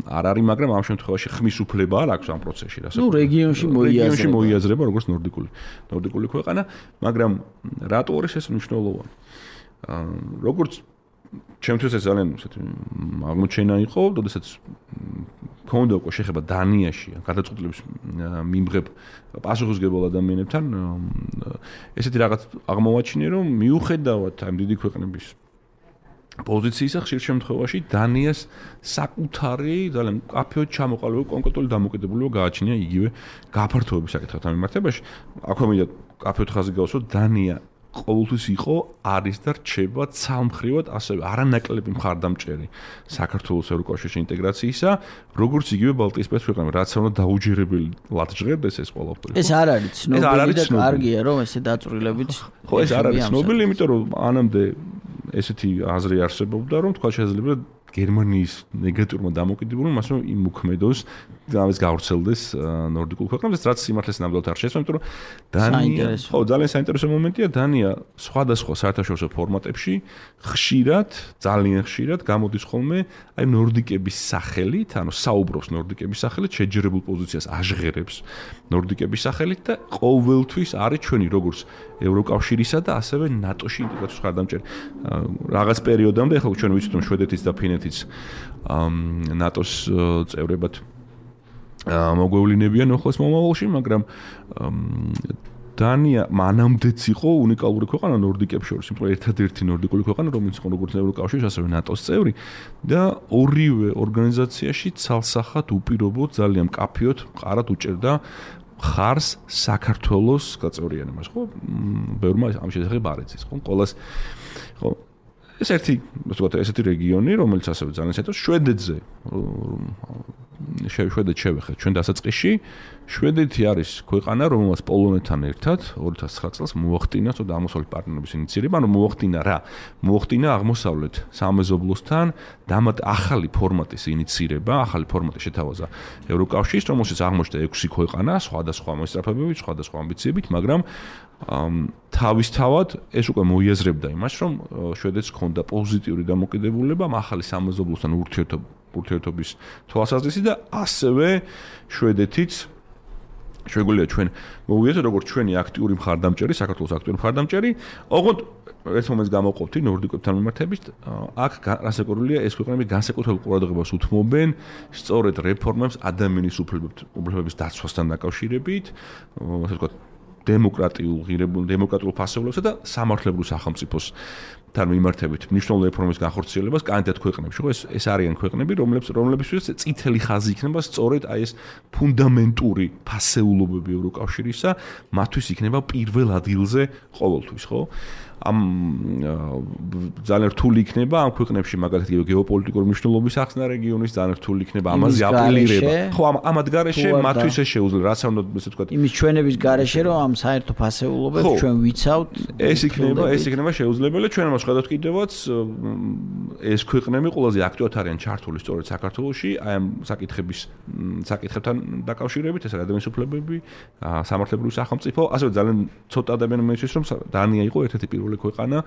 არ არის, მაგრამ ამ შემთხვევაში ხმის უფლება არ აქვს ამ პროცესში, რეგიონში მოიაზრება როგორც ნორდიკული ქვეყანა, მაგრამ რატო არის ეს მნიშვნელოვანი? როგორც ჩემთვის ეს ძალიან აღმოჩენა იყო, როდესაც ქონდა უკვე შეხება დანიაში გადაწყვეტილების მიმღებ პასუხისმგებელ ადამიანებთან ესეთი რაღაც აღმოვაჩინე, რომ მიუხედავად ამ დიდი ქვეყნების პოზიციისა ხშირ შემთხვევაში დანიას საკუთარი ძალიან მკაფიოდ ჩამოყალიბებული კონკრეტული დამოკიდებულება გააჩნია იგივე გაფართოების საკითხთან მიმართებაში. აქვე მინდა მკაფიოდ ხაზი გავუსვათ, დანია ყოველთვის იყო, არის და რჩება ცალმხრივად ასევე არანაკლები მხარდამჭერი საქართველოს ევროკავშირში ინტეგრაციისა, როგორც იგივე ბალტიისპირეთის ქვეყნები, რაც უნდა დაუჯერებლად ჟღერდეს ეს ყველაფერი. ეს არ არის ცნობილი და კარგია, რომ ესე დაწვრილებით. ხო, ეს არ არის ცნობილი, იმიტომ რომ ანამდე ესეთი აზრი არსებობდა, რომ თქვა შეიძლება გერმანიის ნეგატიურმა დამოკიდებულება მას რომ იმუქმედოს ამას გავრცელდეს ნორდიკულ ქვეყნებს რაც სიმართლეს ნამდვილად არ შეესწრო, იმიტომ რომ დანია ხო ძალიან საინტერესო მომენტია დანია სხვადასხვა საერთაშორისო ფორმატებში ხშირად ძალიან ხშირად გამოდის ხოლმე აი ნორდიკების სახელით, ანუ საუბრობს ნორდიკების სახელით, შეჯერებულ პოზიციას აჟღერებს ნორდიკების სახელით და ყოველთვის არის ჩვენი როგორც ევროკავშირისა და ასევე ნატოში ინტეგრაციის ხარდამჭერი. რაღაც პერიოდამდე ახლა ჩვენ ვიცით რომ შვედეთის და ფინეთის ნატოს წევრებად მოგვევლინებიან ახლოს მომავალში, მაგრამ დანია მანამდეც იყო უნიკალური ქვეყანა ნორდიკებს შორის, იმიტომ ერთადერთი ნორდიკული ქვეყანა, რომელიც იყო როგორც ევროკავშირის, ასევე ნატოს წევრი და ორივე ორგანიზაციაში ცალსახად უპირობოდ ძალიან მკაფიოდ მყარად უჭერდა ხარს საქართველოს გაწევრიანებას, ხო? ბევრმა ამ შესახებ არ იცის, ხო? ყოველას ხო ეს ესეთი რეგიონი, რომელიც ასევე ძალიან საინტერესო შვედეთზე შვედეთ შევეხეთ ჩვენ დასაწყისში შვედეთი არის ქვეყანა რომელსაც პოლონეთთან ერთად 2009 წელს მოახდინა ცოტა აღმოსავლეთ პარტნიორების ინიციირება, ანუ მოახდინა აღმოსავლეთ სამეზობლოსთან ახალი ფორმატის ინიციირება, ახალი ფორმატი შეთავაზა ევროკავშირის, რომელშიც აღმოჩნდა 6 ქვეყანა, სხვადასხვა მოსწრაფებებით, სხვადასხვა ამბიციებით, მაგრამ თავისთავად ეს უკვე მოიაზრებდა იმას, რომ შვედეთს ჰქონდა პოზიტიური დამოკიდებულება ახალი სამეზობლოსთან ურთიერთობის თვალსაზრისით და ასევე შვედეთიც შეგვიძლია ჩვენ მოვიაზროთ როგორც ჩვენი აქტიური მხარდამჭერი, საქართველოს აქტიური მხარდამჭერი, ოღონდ ერთ მომენტს გამოვყოფთი ნორდიკებთან მიმართებით, აქ რასაკურველია ეს ქვეყნები განსაკუთრებულ ყურადღებას უთმობენ სწორედ რეფორმებს ადამიანის უფლებების დაცვასთან დაკავშირებით, ასე ვთქვათ, დემოკრატიულ ფასეულობასა და სამართლებრივ სახელმწიფოს თან მიმართებით მნიშვნელოვანი რეფორმის განხორციელებას კანდიდატ ქვეყნებში, ხო ეს არიან ქვეყნები, რომლებისთვის წითელი ხაზი იქნება სწორედ აი ეს ფუნდამენტური ფასეულობები ევროკავშირისა, მათთვის იქნება პირველ ადგილზე ყოველთვის, ხო? ამ ძალიან რთული იქნება ამ ქვეყნებში მაგალითად გეოპოლიტიკური მნიშვნელობის ახსნა რეგიონის ძალიან რთული იქნება ამაზე აპელირება. ხო ამად გარეშე მათთვის ეს შეუძლია, რაც არ უნდა ესე ვთქვათ. იმის ჩვენების გარეშე რომ ამ საერთო ფასეულობებს ჩვენ ვიცავთ, ეს იქნება შეუძლებელი. ჩვენ ამას ხედავთ კიდევაც ეს ქვეყნები ყველაზე აქტიურად არიან ჩართული სწორედ საქართველოში, აი ამ საკითხებთან დაკავშირებით, ეს ადამიანის უფლებები, სამართლებრივი სახელმწიფო, ასევე ძალიან ცოტა ადამიანი მეცეს რომ დანია იყო ერთ-ერთი პირველი ქვეყანა,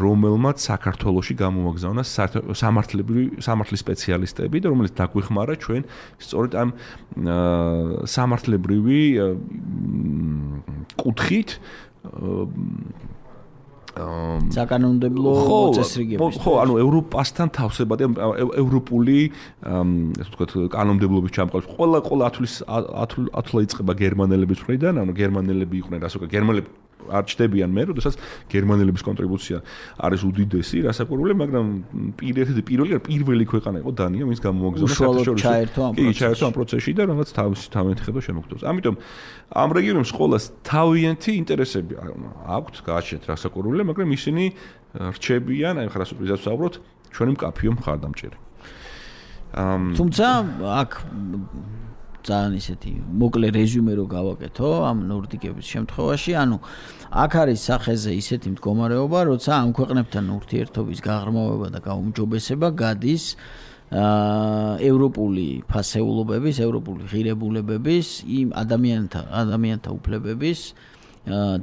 რომელმაც საქართველოში გამოვაგზავნა სამართლის სპეციალისტები და რომელიც დაგვეხმარა ჩვენ სწორედ ამ სამართლებრივი კუთხით საკანონმდებლო წესრიგების. ხო, ანუ ევროპასთან თავსებადი, ევროპული, ასე ვთქვათ, კანონმდებლობის ჩამოყალიბება. ყველა ათვლა იწყება გერმანელების მხრიდან, ანუ გერმანელები იყვნენ, ასე ვთქვათ, გერმანელები არ ჩდებიან მე, როდესაც გერმანელების კონტრიბუცია არის უდიდესი, რასაკურველი, მაგრამ პირველი ქვეყანა იყო დანია, ვინც გამოვაგზავნა საერთაშორისო ჩაერთო ამ პროცესში და რაღაც თავიანთი ხედვა შემოგწევს. ამიტომ ამ რეგიონებს ყოველას თავიანთი ინტერესები აქვთ, გააჩნიათ რასაკურველი, მაგრამ ისინი რჩებიან, აი ხარ ასოთვისაც ვსაუბრობთ, ჩვენი მკაფიო მხარდამჭერი. თუმცა აქ ძალიან ისეთი მოკლე რეზიუმე რო გავაკეთო ამ ნორდიკების შემთხვევაში, ანუ აქ არის სახეზე ისეთი მდგომარეობა, როცა ამ ქვეყნებთან ურთიერთობის გაღრმავება და გაუმჯობესება გადის ევროპული ფასეულობების, ევროპული ღირებულებების, იმ ადამიანთა უფლებების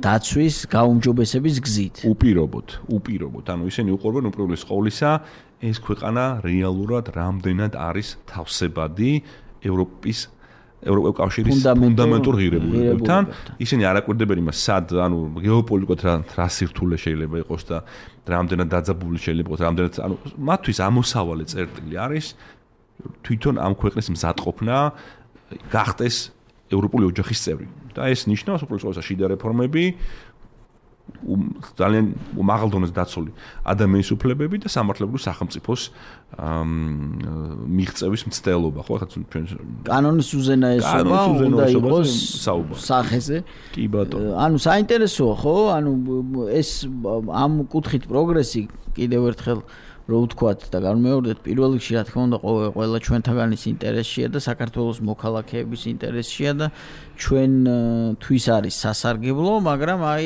დაცვის გაუმჯობესების გზით. უპირობოდ, ანუ ისინი უყურებენ უპირველეს ყოვლისა ეს ქვეყანა რეალურად რამდენად არის თავსებადი ევროკავშირის ფუნდამენტურ ღირებულებებთან. ისინი არ აკვირდებენ იმას, სად, ანუ გეოპოლიტიკურად რა სირთულე შეიძლება იყოს და რამდენად დაძაბული შეიძლება იყოს, რამდენად, ანუ მათთვის ამოსავალი წერტილი არის თვითონ ამ ქვეყნის მზადყოფნა გახდეს ევროპული ოჯახის წევრი. და ეს ნიშნავს უპირველეს ყოვლისა შიდა რეფორმები, ძალიან მაღალ დონეზე დაცული ადამიანის უფლებები და სამართლებრივი სახელმწიფოს მიღწევის მცდელობა, ხო, ახლა ჩვენ კანონის უზენაესობა უნდა იყოს სახეზე. კი ბატონო. ანუ საინტერესოა, ხო? ანუ ეს ამ კუთხით პროგრესი კიდევ ერთხელ რო ვთქვათ და განმეორდეთ პირველ რიგში რა თქმა უნდა ყველა ჩვენთაგანის ინტერესშია და საქართველოს მოქალაქეების ინტერესშია და ჩვენ თვის არის სასარგებლო, მაგრამ აი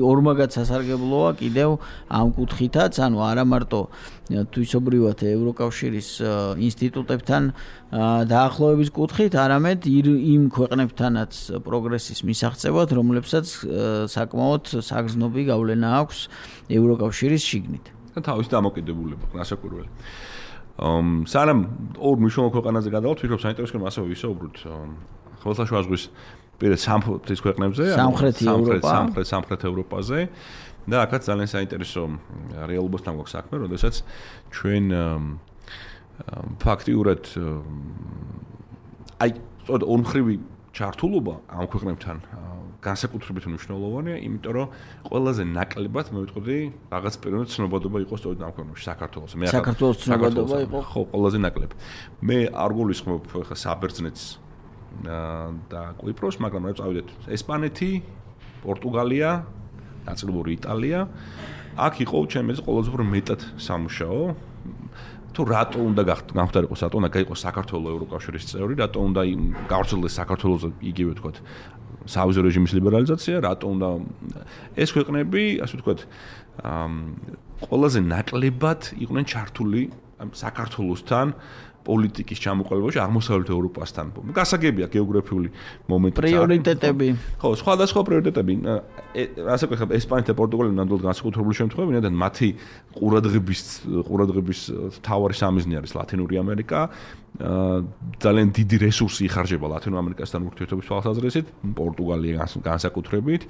ორმაგად სასარგებლოა კიდევ ამ კუთხითაც, ანუ არა მარტო თვისობრივად ევროკავშირის ინსტიტუტებთან დაახლოების კუთხით, არამედ იმ ქვეყნებთანაც პროგრესის მისაღწევად, რომლებსაც საკმაოდ საგრძნობი გავლენა აქვს ევროკავშირის შიგნით. და თავის დამოკიდებულება, გასაკვირველი. სანამ ორ მნიშვნელოვან ქვეყანაზე გადავთ, ვფიქრობ საინტერესო რომ ასევე ვისაუბროთ ხმელთაშუა ზღვის პირეთ სამხრეთის ქვეყნებზე, სამხრეთ ევროპაზე და აქაც ძალიან საინტერესო რეალობასთან გვაქვს საქმე, როდესაც ჩვენ ფაქტიურად აი სწორედ ორმხრივი ჩართულობა ამ ქვეყნებთან განსაკუთრებით მნიშვნელოვანია, იმიტომ რომ ყველაზე ნაკლებად მე ვიტყოდი რაღაც პიროვნად ცნობადობა იყო სწორედ ამ ქვეყნებში, საქართველოს. საქართველოს ცნობადობა იყო ხო, ყველაზე ნაკლები. მე არ გულისხმობ ხა საბერძნეთს და კვიპროს, მაგრამ რა წავიდეთ ესპანეთი, პორტუგალია, ნაწილობრივ იტალია. აქ იყო ჩემს ყველაზე უფრო მეტად სამუშაო. თუ რატო უნდა გამხდარიყოს, რატო უნდა გაიყოს საქართველოს ევროკავშირის წევრი, რატო უნდა გავრცელდეს საქართველოს იგივე თქვათ სავიზო რეჟიმის ლიბერალიზაცია, რატო უნდა ეს ქვეყნები, ასე ვთქვათ, ყველაზე ნაკლებად იყვნენ ჩართული საქართველოსთან პოლიტიკის ჩამოყალიბებაში აღმოსავლეთ ევროპასთან. გასაგებია გეოგრაფიული მომენტი. პრიორიტეტები. ხო, სხვადასხვა პრიორიტეტები. ასე ვქოთ, ესპანეთი და პორტუგალია ნამდვილად განსაკუთრებული შემთხვევები, ვინაიდან მათი ყურადღების მთავარი სამიზნე არის ლათინური ამერიკა. ძალიან დიდი რესურსი იხარჯება ლათინურ ამერიკასთან ურთიერთობის თვალსაზრისით, პორტუგალია განსაკუთრებით,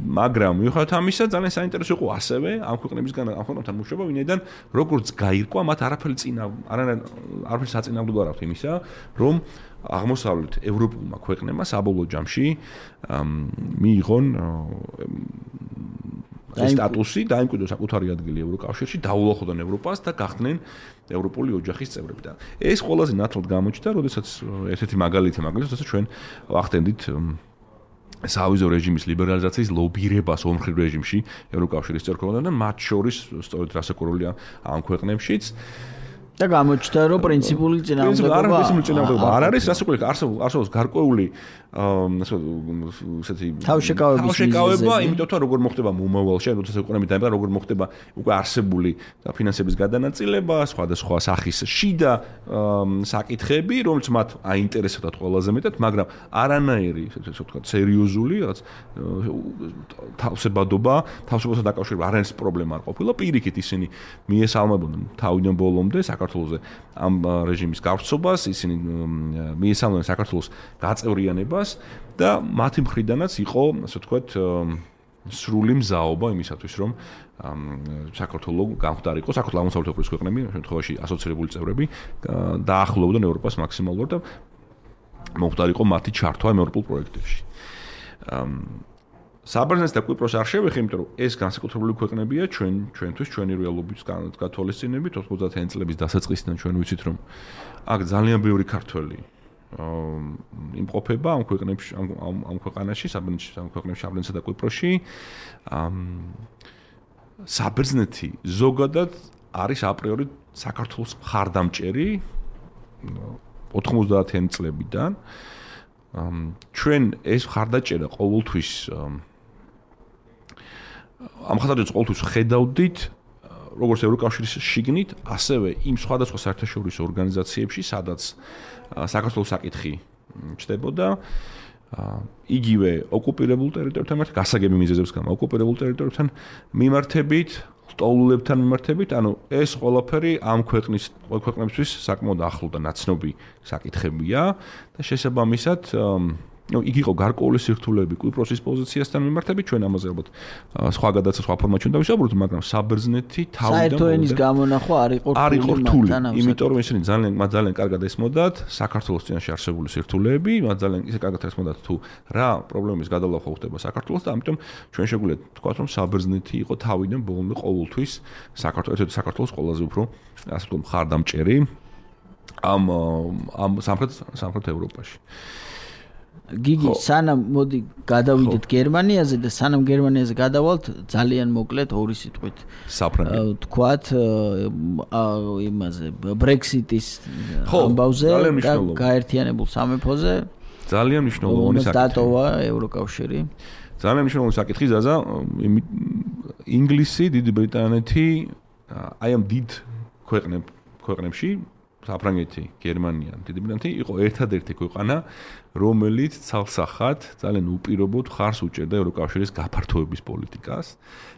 მაგრამ მიუხედავად ამისა, ძალიან საინტერესო იყო ასევე ამ ქვეყნებთან მუშაობა, ვინაიდან როგორც გაირკვა, მათ არაფერი საწინააღმდეგო არ აქვს იმისა, რომ აღმოსავლეთ ევროპულმა ქვეყნებმა საბოლოო ჯამში მიიღონ სტატუსი, დაიმკვიდრონ საკუთარი ადგილი ევროკავშირში, დაუახლოვდნენ ევროპას და გახდნენ ევროპული ოჯახის წევრები. და ეს ყველაზე ნათლად გამოჩნდა, როდესაც ერთ-ერთი მაგალითი, როდესაც ჩვენ ვახდენდით სავიზო რეჟიმის ლიბერალიზაციის ლობირებას ორმხრივ რეჟიმში ევროკავშირის წევრ ქვეყნებთან, მათ შორის სწორედ რასაკვირველია ამ ქვეყნებშიც. და გამოჩნდა, რომ პრინციპული წინააღმდეგობა არ არის, რასაკვირველია, არსებობს გარკვეული ესეთი თავშეკავება, იმიტომ რომ როგორ მოხდება მომავალში, როდესაც ევროპული დაიბადა, როგორ მოხდება უკვე არსებული ფინანსების გადანაწილება, სხვადასხვა სახის შიდა საკითხები, რომელიც მათ აინტერესებდათ ყველაზე მეტად, მაგრამ არანაირი, ესე ვთქვათ, სერიოზული რაღაც თავისებურებასთან დაკავშირებული არანაირი პრობლემა არ ყოფილა. პირიქით ისინი მიესალმებოდნენ თავიდან ბოლომდე საქართველოს ამ რეჟიმის გავრცობას, ისინი მიესალმებოდნენ საქართველოს გაწევრიანებას და მათი მხრიდანაც იყო, ასე ვთქვათ, სრული მზაობა იმისათვის, რომ საქართველოს გამხდარიყო, საქართველოს აღმოსავლეთ ევროპის ქვეყნები, შემთხვევაში ასოცირებული წევრები დაახლოვდნენ ევროპას მაქსიმალურად და მომხდარიყო მათი ჩართვა ევროპულ პროექტებში. საბერძნეთს და კვიპროს არ შევეხე, იმიტომ რომ ეს განსაკუთრებული ქვეყნებია ჩვენთვის ჩვენი რეალობის გათვალისწინებით 90-იანი წლების დასაწყისიდან ჩვენ ვიცით, რომ აქ ძალიან ბევრი ქართველი იმყოფება ამ ქვეყნებში, ამ ქვეყანაში, საბერძნეთსა და კვიპროსში. საბერძნეთი ზოგადად არის აპრიორი საქართველოს მხარდამჭერი 90-იანი წლებიდან. ჩვენ ეს მხარდაჭერა ყოველთვის ამ მხარდაჭერას ყოველთვის ხედავდით როგორც ევროკავშირის შიგნით, ასევე იმ სხვადასხვა საერთაშორისო ორგანიზაციებში, სადაც საქართველოს საკითხი ჩდებოდა, იგივე ოკუპირებულ ტერიტორიებთან მიმართ, გასაგები მიზეზებს გამო ოკუპირებულ ტერიტორიებთან მიმართებით, სტოლულებთან მიმართებით, ანუ ეს ყველაფერი ამ ქვეყნებისთვის საკმაოდ ახლო და ნაცნობი საკითხებია და შესაბამისად იგი იყო გარკვეული სირთულეები კვიპროსის პოზიციასთან მიმართებით, ჩვენ ამაზე ალბათ სხვა გადაცემა, სხვა ფორმატში უნდა ვისაუბროთ, მაგრამ საბერძნეთი თავიდან საერთო ენის გამონახვა არ იყო რთული, იმიტომ რომ ისინი ძალიან კარგად ესმოდათ საქართველოს წინაშე არსებული სირთულეები, მათ ძალიან ისე კარგად ესმოდათ თუ რა პრობლემის გადალახვა ხდება საქართველოს და ამიტომ ჩვენ შეგვიძლია ვთქვათ, რომ საბერძნეთი იყო თავიდან ბოლომდე ყოველთვის საქართველოს ყველაზე უფრო ასე ვთქვათ მხარდამჭერი ამ სამხრეთ ევროპაში. გიგი, სანამ მოდი გადავიდეთ გერმანიაზე და სანამ გერმანიაზე გადავალთ, ძალიან მოკლედ ორი სიტყვით. საფრანგეთი. თქვათ იმაზე Brexit-ის ამბავზე და გაერთიანებულ სამეფოზე. ძალიან მნიშვნელოვანი საკითხი. დატოვა ევროკავშირი. ძალიან მნიშვნელოვანი საკითხი ზაზა, ინგლისი, დიდი ბრიტანეთი, აი ამ დიდ ქვეყნებში საფრანგეთი, გერმანია, დიდი ბრიტანეთი იყო ერთადერთი ქვეყანა, რომელიც ცალსახად ძალიან უპირობოდ ხარს უჭერდა ევროკავშირის გაფართოების პოლიტიკას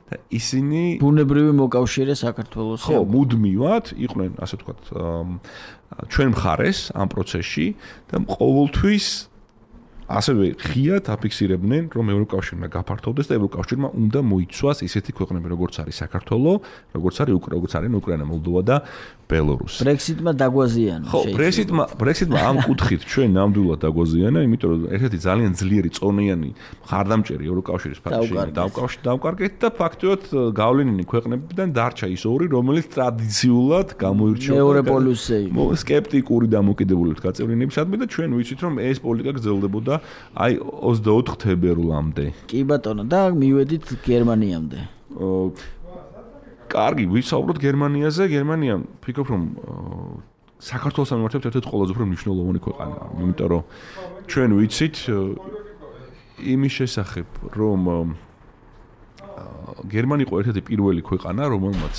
და ისინი ბუნებრივი მოკავშირე საქართველოს. ხო, მუდმივად იყვნენ, ასე ვთქვათ, ჩვენ მხარეს ამ პროცესში და ყოველთვის ასევე ღიად აფიქსირებდნენ, რომ ევროკავშირმა გაფართოვდეს და ევროკავშირმა უნდა მოიცვას ისეთი ქვეყნები, როგორც არის საქართველო, როგორც არის უკრაინა, მოლდოვა და ბელორუსი. Brexit-მა დაგვაზიანა. ხო, Brexit-მა ამ კუთხით ჩვენ ნამდვილად დაგვაზიანა, იმიტომ რომ ერთ-ერთი ძალიან ძლიერი წონიანი მხარდამჭერი ევროკავშირის ფაქტში დავკარგეთ და ფაქტობრივად გავლენიანი ქვეყნებიდან დარჩა ის ორი, რომელიც ტრადიციულად გამოირჩეოდა მეორე პოლუსზე იყო. სკეპტიკური დამოკიდებულებით გაწევრიანებისადმი და ჩვენ ვიცით, რომ ეს პოლიტიკა გრძელდებოდა აი 24 თებერვლამდე. კი ბატონო და მივედით გერმანიამდე. კარგი, ვისაუბროთ გერმანიაზე. გერმანია ფიქრობ რომ საქართველოს მიმართებით ერთ-ერთი ყველაზე უფრო მნიშვნელოვანი ქვეყანაა, იმიტომ რომ ჩვენ ვიცით იმის შესახებ, რომ გერმანია იყო ერთ-ერთი პირველი ქვეყანა, რომელმაც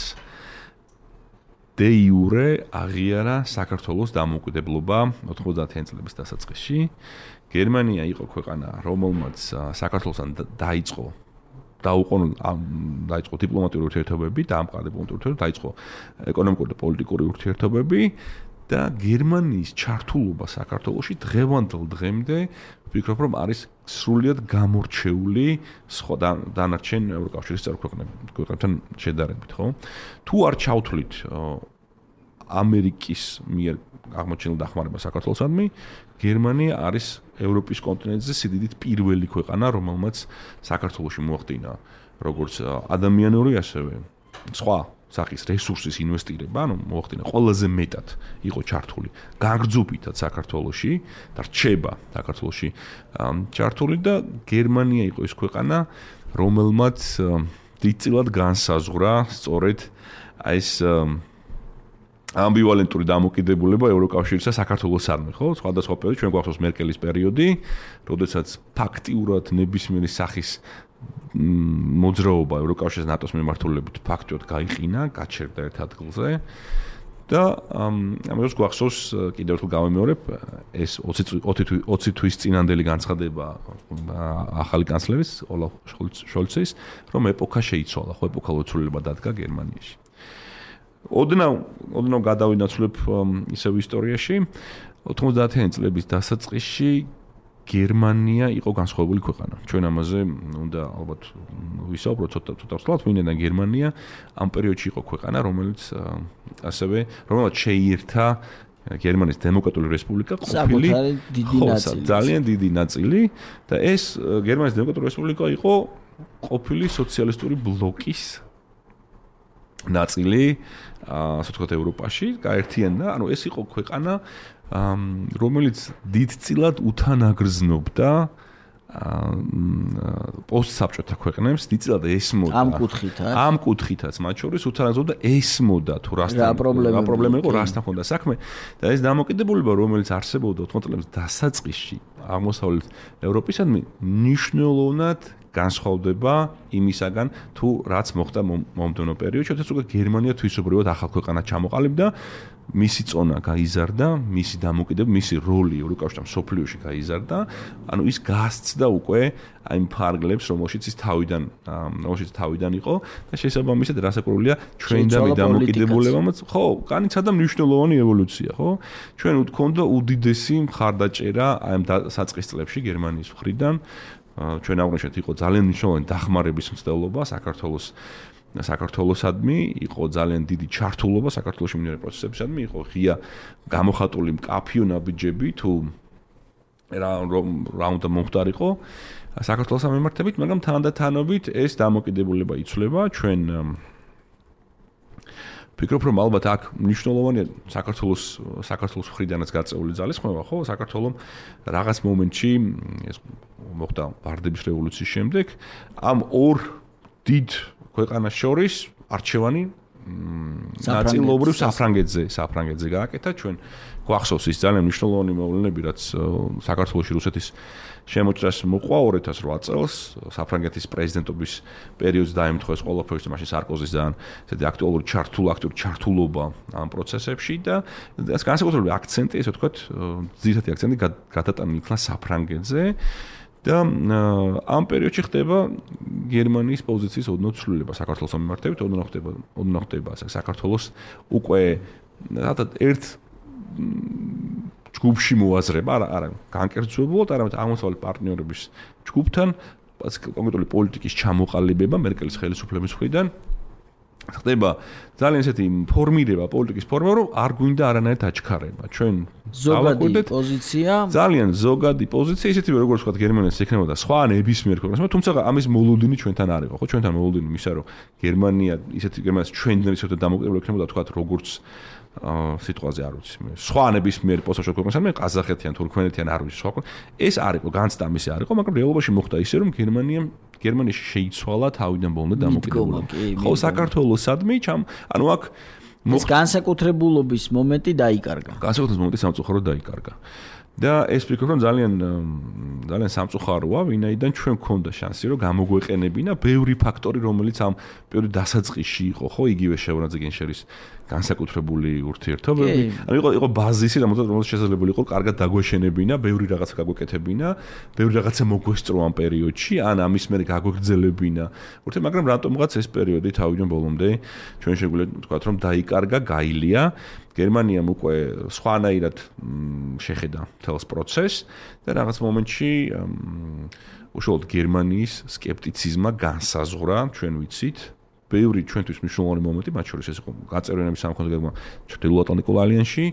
de jure აღიარა საქართველოს დამოუკიდებლობა 90-იან წლების დასაწყისში. გერმანია იყო ქვეყანა, რომელმაც საქართველოსთან დაიწყო დიპლომატიური ურთიერთობები, დაამყარა დიპლომატიური ურთიერთობები, დაიწყო ეკონომიკური და პოლიტიკური ურთიერთობები და გერმანიის ჩართულობა საქართველოში დღევანდელ დღემდე ვფიქრობ, რომ არის სრულიად გამორჩეული სხვა დანარჩენ ევროკავშირის წევრ ქვეყნებთან შედარებით, ხო? თუ არ ჩავთვლით ამერიკის მიერ აღმოჩენილ დახმარება საქართველოსადმი, გერმანია არის ევროპის კონტინენტზე სიდიდით პირველი ქვეყანა, რომელმაც საქართველოში მოახდინა როგორც ადამიანური, ასევე სხვა სახის რესურსის ინვესტირება, ანუ მოახდინა ყველაზე მეტად იყო ჩართული გაგრძობითად საქართველოში და რჩება საქართველოში ჩართული და გერმანია იყო ის ქვეყანა, რომელმაც დიდწილად განსაზღვრა სწორედ ეს ამბივალენტური დამოკიდებულება ევროკავშირისა საქართველოსადმი, ხო? სხვადასხვა პერიოდი ჩვენ გვახსოვს მერკელის პერიოდი, როდესაც ფაქტიურად ნებისმიერი სახის მოძრაობა ევროკავშირის ნატოს მიმართულებით ფაქტიურად გაიყინა, გაჩერდა ერთ ადგილზე და ამას გვახსოვს კიდევ ერთხელ გავემეორებ ეს 20 თვის წინანდელი განცხადება ახალი კანცლერის ოლაფ შოლცის, რომ ეპოქა შეიცვალა, ხო, ეპოქალურ ცვლილება დადგა გერმანიაში. ოდნავ გადავინაცვლებ ისევ ისტორიაში 90-იან წლების დასაწყისში გერმანია იყო განსხვავებული ქვეყანა. ჩვენ ამაზე უნდა ალბათ ვისაუბროთ ცოტა ვთქვათ, ვინაიდან გერმანია ამ პერიოდში იყო ქვეყანა, რომელიც შეიერთა გერმანიის დემოკრატიული რესპუბლიკა ყოფილი ძალიან დიდი ნაწილი და ეს გერმანიის დემოკრატიული რესპუბლიკა იყო ყოფილი სოციალისტური ბლოკის ნაწილი, ასე ვთქვათ, ევროპაში გაერთიანდა, ანუ ეს იყო ქვეყანა, რომელიც დიდწილად უთანაგრძნობდა პოსტსაბჭოთა ქვეყნებს, დიდწილად ესმოდა ამ კუთხითაც, მათ შორის უთანაგრძნობდა ესმოდა თუ რა პრობლემა იყო, რასთან ჰქონდა საქმე და ეს დამოკიდებულება, რომელიც არსებობდა 90 წლების დასაწყისში აღმოსავლეთ ევროპისადმი, მნიშვნელოვნად განსხვავდება იმისაგან, თუ რაც მოხდა მომდევნო პერიოდში, როდესაც უკვე გერმანია თვისობრივად ახალ ქვეყანად ჩამოყალიბდა, მისი წონა გაიზარდა, მისი დამოკიდებულება, მისი როლი ევროკავშირში მსოფლიოში გაიზარდა, ანუ ის გასცდა უკვე აი ფარგლებს, რომელშიც თავიდან იყო და შესაბამისად რასაკურველია ჩვენ და დამოკიდებულებამაც, ხო, განიცადა მნიშვნელოვანი ევოლუცია, ხო? ჩვენ გვქონდა უდიდესი მხარდაჭერა აი ამ საწყის წლებში გერმანიის მხრიდან ჩვენ აღნიშნეთ იყო ძალიან მნიშვნელოვანი დახმარების მცდელობა საქართველოსადმი, იყო ძალიან დიდი ჩართულობა საქართველოში მიმდინარე პროცესებისადმი, იყო ღია გამოხატული მკაფიო ნაბიჯები თუ რა უნდა მომხდარიყო საქართველოს მიმართებით, მაგრამ თანდათანობით ეს დამოკიდებულება იცვლება, ჩვენ ფიქრობ რომ ალბათ აქ მნიშვნელოვანია საქართველოს მხრიდანაც გაწეული ძალისხმევა, ხო? საქართველოს რაღაც მომენტში ეს მოხდა ბარდების რევოლუციის შემდეგ ამ ორ დიდ ქვეყანას შორის არჩევანი ნაწილობრივ საფრანგეთზე გააკეთა. ჩვენ გვახსოვს ის ძალიან მნიშვნელოვანი მოვლენები, რაც საქართველოში რუსეთის შემოჭრას მოყვა 2008 წელს საფრანგეთის პრეზიდენტობის პერიოდს დაემთხვა ეს ყველაფერი, მაშინ სარკოზის ძალიან ესეთი აქტუალური ჩართულობა ამ პროცესებში და ეს განსაკუთრებული აქცენტი, ესე ვთქვათ, ძირითადი აქცენტი გადატანილი იქნა საფრანგეთზე. და ამ პერიოდში ხდება გერმანიის პოზიციის ოდნავ ცვლილება საქართველოს მიმართებით, ოდნავ ხდება საქართველოს უკვე ერთ ჯგუფში მოაზრება, არა განკერძებულად, არამედ აღმოსავლეთ პარტნიორების ჯგუფთან, კონკრეტული პოლიტიკის ჩამოყალიბება მერკელის ხელისუფლების მხრიდან ხდება ძალიან ესეთი პოლიტიკის ფორმა, რომ არ გვინდა არანაირად აჩქარება. ჩვენ ზოგადი პოზიცია, ძალიან ზოგადი პოზიცია, ისეთი როგორც ვთქვათ, გერმანიას ექნებოდა სხვა ნებისმიერ ქვეყნას, თუმცა ამის მოლოდინი ჩვენთან არ იყო, ხო? ჩვენთან მოლოდინი მისა, რომ გერმანია ჩვენთან ისეთი დამოკიდებული ექნებოდა, ვთქვათ, როგორც სიტყვაზე არ ვიცი მე. სხვა ნებისმიერ პოსტში ქვეყნას, მე ყაზახეთიან, თურქმენეთიან არ ვიცი სხვა ქვეყნა. ეს არ იყო, განცდა მისი არ იყო, მაგრამ რეალობაში მოხდა ისე, რომ გერმანიაში შეიცვალა თავიდან ბოლომდე დამოკიდებულება. ხო, საქართველოსადმი ანუ აქ ეს განსაკუთრებულობის მომენტი დაიკარგა. განსაკუთრებულობის მომენტი სამწუხაროდ დაიკარგა. და ეს ვფიქრობ, რომ ძალიან სამწუხაროა, ვინაიდან ჩვენ გქონდა შანსი, რომ გამოგვეყენებინა ბევრი ფაქტორი, რომელიც ამ პერიოდის დასაწყისში იყო, ხო, იგივე შეურაძე გენშერის განსაკუთრებული ურთიერთობები. ანუ იყო ბაზისი, რომელსაც შესაძლებელი იყო კარგად დაგვეშენებინა, ბევრი რაღაცა გაგვეკეთებინა, ბევრი რაღაცა მოგვესწრო ამ პერიოდში, ან ამის მერე გაგვეგრძელებინა. მაგრამ რატომღაც ეს პერიოდი თავიდან ბოლომდე ჩვენ შეგვიძლია ვთქვათ, რომ დაიკარგა, გაილია. გერმანიამ უკვე სხვანაირად შეხედა მთელს პროცესს და რაღაც მომენტში უშუალოდ გერმანიის სკეპტიციზმა განსაზღვრა, ჩვენ ვიცით, ბევრი ჩვენთვის მნიშვნელოვანი მომენტი, მათ შორის ეს იყო გაწევრიანების სამხედრო გეგმა ჩრდილოატლანტიკურ ალიანსში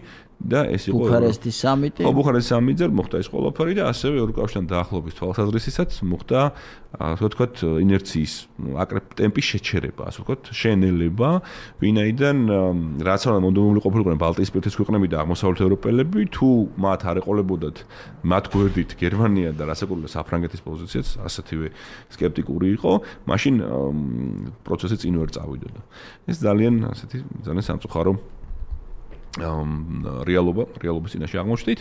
და ეს იყო ბუქარესტის სამიტი. ხო, ბუქარესტის სამიტზე მოხდა ეს ყველაფერი და ასევე ევროკავშირთან დაახლოების თვალსაზრისითაც მოხდა, ასე ვთქვათ, ინერციის ტემპის შეჩერება, ასე ვთქვათ, შენელება, ვინაიდან რაც არ მონდომებული ყოფილიყვნენ ბალტიისპირეთის ქვეყნები და აღმოსავლეთ ევროპელები, თუ მათ არ ეყოლებოდათ მათ გვერდით გერმანია და რასაკურველია საფრანგეთის პოზიციაც ასეთივე სკეპტიკური იყო, მაშინ პროცესი წინ ვერ წავიდოდა. ეს ძალიან სამწუხარო რეალობის წინაშე აღმოჩნდით.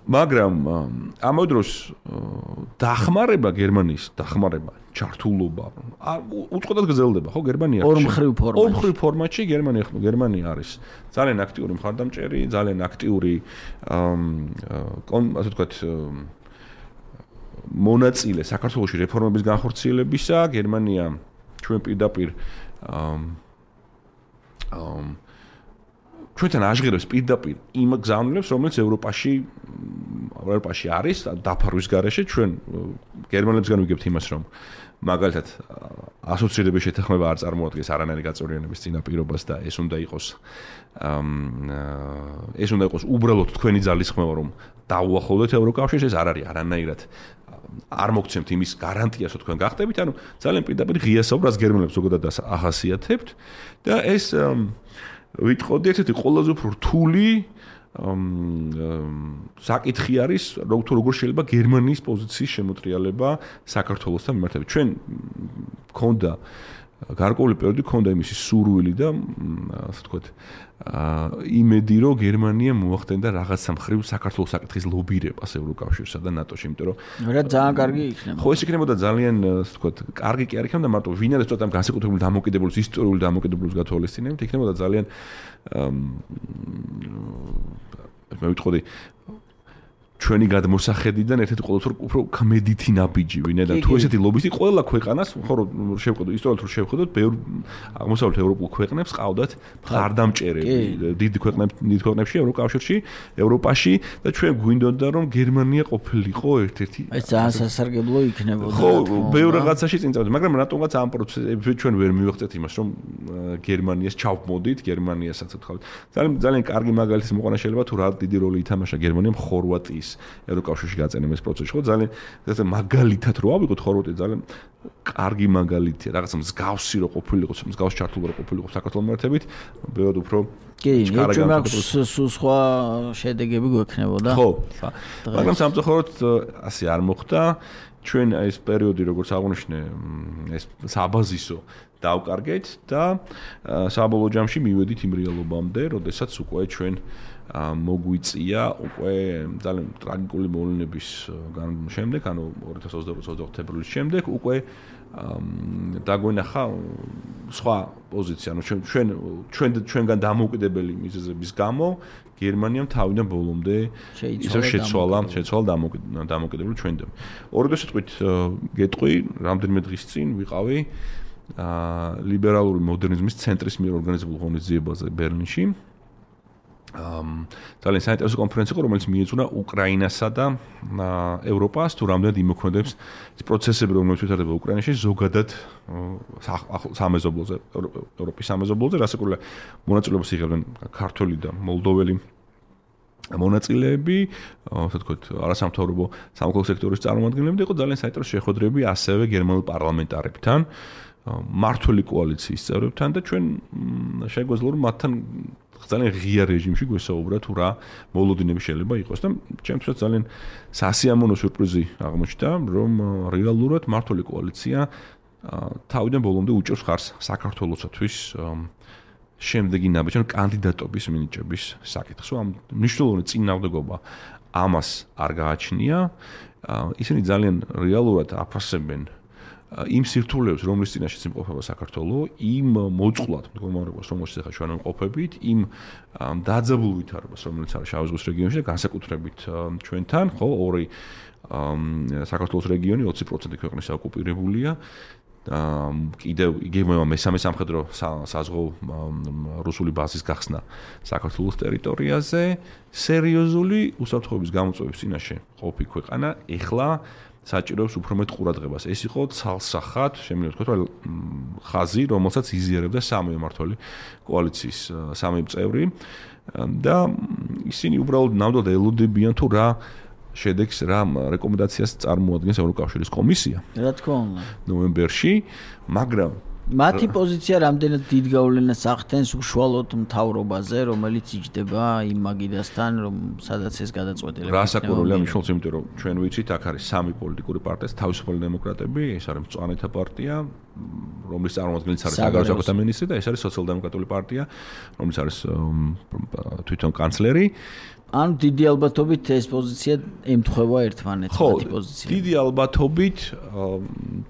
მაგრამ ამავე დროს დახმარება გერმანიის ჩართულობა უწყოდად გრძელდება, ხო, გერმანია ორმხრივ ფორმატში გერმანია არის ძალიან აქტიური მხარდამჭერი, ძალიან აქტიური ასე ვთქვათ მონაწილე საქართველოში რეფორმების განხორციელებისა. გერმანია ჩვენ პირდაპირ ჩვენთან აღღერებს პირდაპირ იმ გზავნილებს, რომელიც ევროპაში არის დაფარვის გარეშე. ჩვენ გერმანელებსგან ვიგებთ იმას, რომ მაგალითად ასოცირების შეთანხმება არ წარმოადგენს არანაირი გაწევრიანების წინაპირობას და ეს უნდა იყოს უბრალოდ თქვენი ძალისხმევა, რომ დაუახლოვდეთ ევროკავშირს, ეს არ არის არანაირად არ მოგცემთ იმის გარანტიას, რომ თქვენ გახდებით, ანუ ძალიან პირდაპირ ღია საუბრას გერმანელებს ზოგადად ახასიათებთ და ეს ვიტყოდი ერთ-ერთი ყველაზე უფრო რთული საკითხი არის, როგორ შეიძლება გერმანიის პოზიციის შემოტრიალება საქართველოსთან მიმართებით. ჩვენ გქონდა გარკვეული პერიოდი გქონდა იმისი სურვილი და ასე ვთქვათ, იმედი, რომ გერმანია მოახდენდა რაღაცა მხრივ საქართველოს საკითხის ლობირებას ევროკავშირსა და ნატოში, იმიტომ რომ ძალიან კარგი იქნება. ხო, ეს იქნებოდა ძალიან, ასე ვთქვათ, კარგი კი არ იქნება, მარტო ვინაიდან ცოტა განსაკუთრებული დამოკიდებულების, ისტორიული დამოკიდებულების გათვალისწინებით, იქნებოდა ძალიან მე ვიტყოდი ჩვენი გადმოსახედიდან ერთ-ერთი ყოველთვის უფრო კმედითი ნაბიჯი, ვინაიდან თუ ესეთი ლობისტი ყველა ქვეყანას, ხო რომ შევხედოთ, ისტორიულად რომ შევხედოთ, ბევრ აღმოსავლეთ ევროპულ ქვეყნებს ყავდათ მხარდამჭერები, დიდ ქვეყნებში, ევროპაში და ჩვენ გვინდოდა რომ გერმანია ყოფილიყო ერთ-ერთი ეს ძალიან სასარგებლო იქნებოდა. ხო, ბევრ რაღაცაში წინ წავიდა, მაგრამ რატომღაც ამ პროცესებში ჩვენ ვერ მივიღწეთ იმას, რომ გერმანიას ჩავმოდით, გერმანიასაც ვთქვათ. ძალიან კარგი მაგალითის მოყვანა შეიძლება თუ რა დიდი როლი ითამაშა გერმანიამ ხორვატიის ევროკავშირში გაწენება ეს პროცესი ხო ძალიან მაგალითად რო ავიღოთ ხორვატია ძალიან კარგი მაგალითია რაღაცა მსგავსი რო ყოფილიყო მსგავს ჩართულობა რო ყოფილიყო საქართველოს მიმართებით ბევრად უფრო სულ სხვა შედეგები გვექნებოდა ხო მაგრამ სამწუხაროდ ასე არ მოხდა ჩვენ ეს პერიოდი როგორც აღნიშნე ეს საბაზისო დავკარგეთ და საბოლოო ჯამში მივედით იმ რეალობამდე როდესაც უკვე ჩვენ მოგვიწია უკვე ძალიან ტრაგიკული მოვლენების შემდეგ ანუ 2022 თებერვლის შემდეგ უკვე დაგვენახა სხვა პოზიცია ანუ ჩვენგან დამოუკიდებელი მიზეზების გამო გერმანიამ თავიდან ბოლომდე ისე შეცვალა დამოუკიდებელი ჩვენდან. ორი სიტყვით გეტყვი, რამდენიმე დღის წინ ვიყავი ლიბერალური მოდერნიზმის ცენტრის მიერ ორგანიზებულ ღონისძიებაზე ბერლინში. ძალიან საინტერესო კონფერენცია იყო, რომელიც მიეძღვნა უკრაინასა და ევროპას თუ რამდენად იმოქმედებს ეს პროცესები, რომელიც ვითარდება უკრაინაში ზოგადად სამეზობლოზე, ევროპის სამეზობლოზე, რასაკურველია მონაწილეობას იღებდნენ ქართველი და მოლდოველი მონაწილეები, ასე ვთქვათ, არასამთავრობო სამოქალაქო სექტორის წარმომადგენლები და იყო ძალიან საინტერესო შეხვედრები ასევე გერმანულ პარლამენტარებთან, მმართველი კოალიციის წევრებთან და ჩვენ შეგვეძლო რომ მათთან ძალიან ღია რეჟიმში გვესაუბრა თუ რა მოლოდინები შეიძლება იყოს და ჩემთვისაც ძალიან სასიამოვნო სიურპრიზი აღმოჩნდა რომ რეალურად მმართველი კოალიცია თავიდან ბოლომდე უჭერს ხარს საქართველოსთვის შემდეგი ნაბიჯი კანდიდატობის მინიჭების საკითხს. ამ მნიშვნელოვანი წინააღმდეგობა ამას არ გააჩნია. ისინი ძალიან რეალურად აფასებენ იმ სირთულეებს, რომლის წინაშეც იმყოფება საქართველოს, იმ მოწყვლად მდგომარეობას, რომელშიც ახლა ჩვენ ვიმყოფებით, იმ დაძაბულ ვითარებას, რომელიც არის შავი ზღვის რეგიონში და განსაკუთრებით ჩვენთან, ხო, ორი საქართველოს რეგიონი 20% ქვეყნის ოკუპირებულია. კიდევ იგივე მესამე სამხედრო საზღვაო რუსული ბაზის გახსნა საქართველოს ტერიტორიაზე, სერიოზული უსაფრთხოების გამოწვევის წინაშე ყოფი ქვეყანა, ეხლა საჭიროებს უფრო მეტ ყურადღებას. ეს იყო ცალსახად, შემიძლია ვთქვათ, რომ ხაზი, რომელსაც იზიარებდა სამი მმართველი კოალიციის სამი წევრი და ისინი უბრალოდ ნამდვილად ელოდებიან თუ რა შედეგს რა რეკომენდაციას წარმოადგენს ევროკავშირის კომისია. რა თქმა უნდა. ნოემბერში, მაგრამ მათი პოზიცია რამდენად დიდ გავლენას ახდენს უშუალოდ მთავრობაზე, რომელიც იჯდება იმ მაგიდასთან, რომ სადაც ეს გადაწყვეტილება იქნება. რასაკურველია მნიშვნელოვანი, იმიტომ რომ ჩვენ ვიცით, აქ არის სამი პოლიტიკური პარტია, თავისუფალი დემოკრატები, ეს არის მწვანეთა პარტია, რომლის წარმომადგენლიც არის საგარეო საქმეთა მინისტრი და ეს არის სოციალ-დემოკრატიული პარტია, რომლის არის თვითონ კანცლერი. ანუ დიდი ალბათობით ეს პოზიცია ემთხვევა ერთმანეთს მათი პოზიცია. დიდი ალბათობით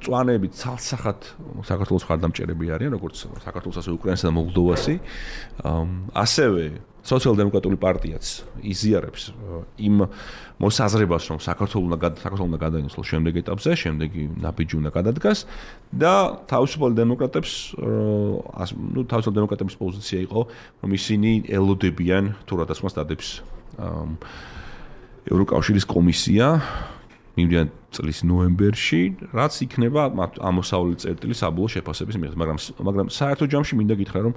მწვანეები ცალსახად საქართველოს მხარდამჭერები არიან, როგორც საქართველოს ასე უკრაინასა და მოლდოვასი. ასევე სოციალ-დემოკრატიული პარტიაც იზიარებს იმ მოსაზრებას, რომ საქართველოს უნდა გადაინაცვლოს შემდეგ ეტაპზე, შემდეგი ნაბიჯი უნდა გადადგას და თავისუფალი დემოკრატების პოზიცია იყო, რომ ისინი ელოდებიან თუ რადასმას დადებს ევროკავშირის კომისია მიმდინარე წლის ნოემბერში, რაც იქნება ამოსავლელი წერტილი საბოლოო შეფასების მიხედვით, მაგრამ საერთო ჯამში მინდა გითხრა, რომ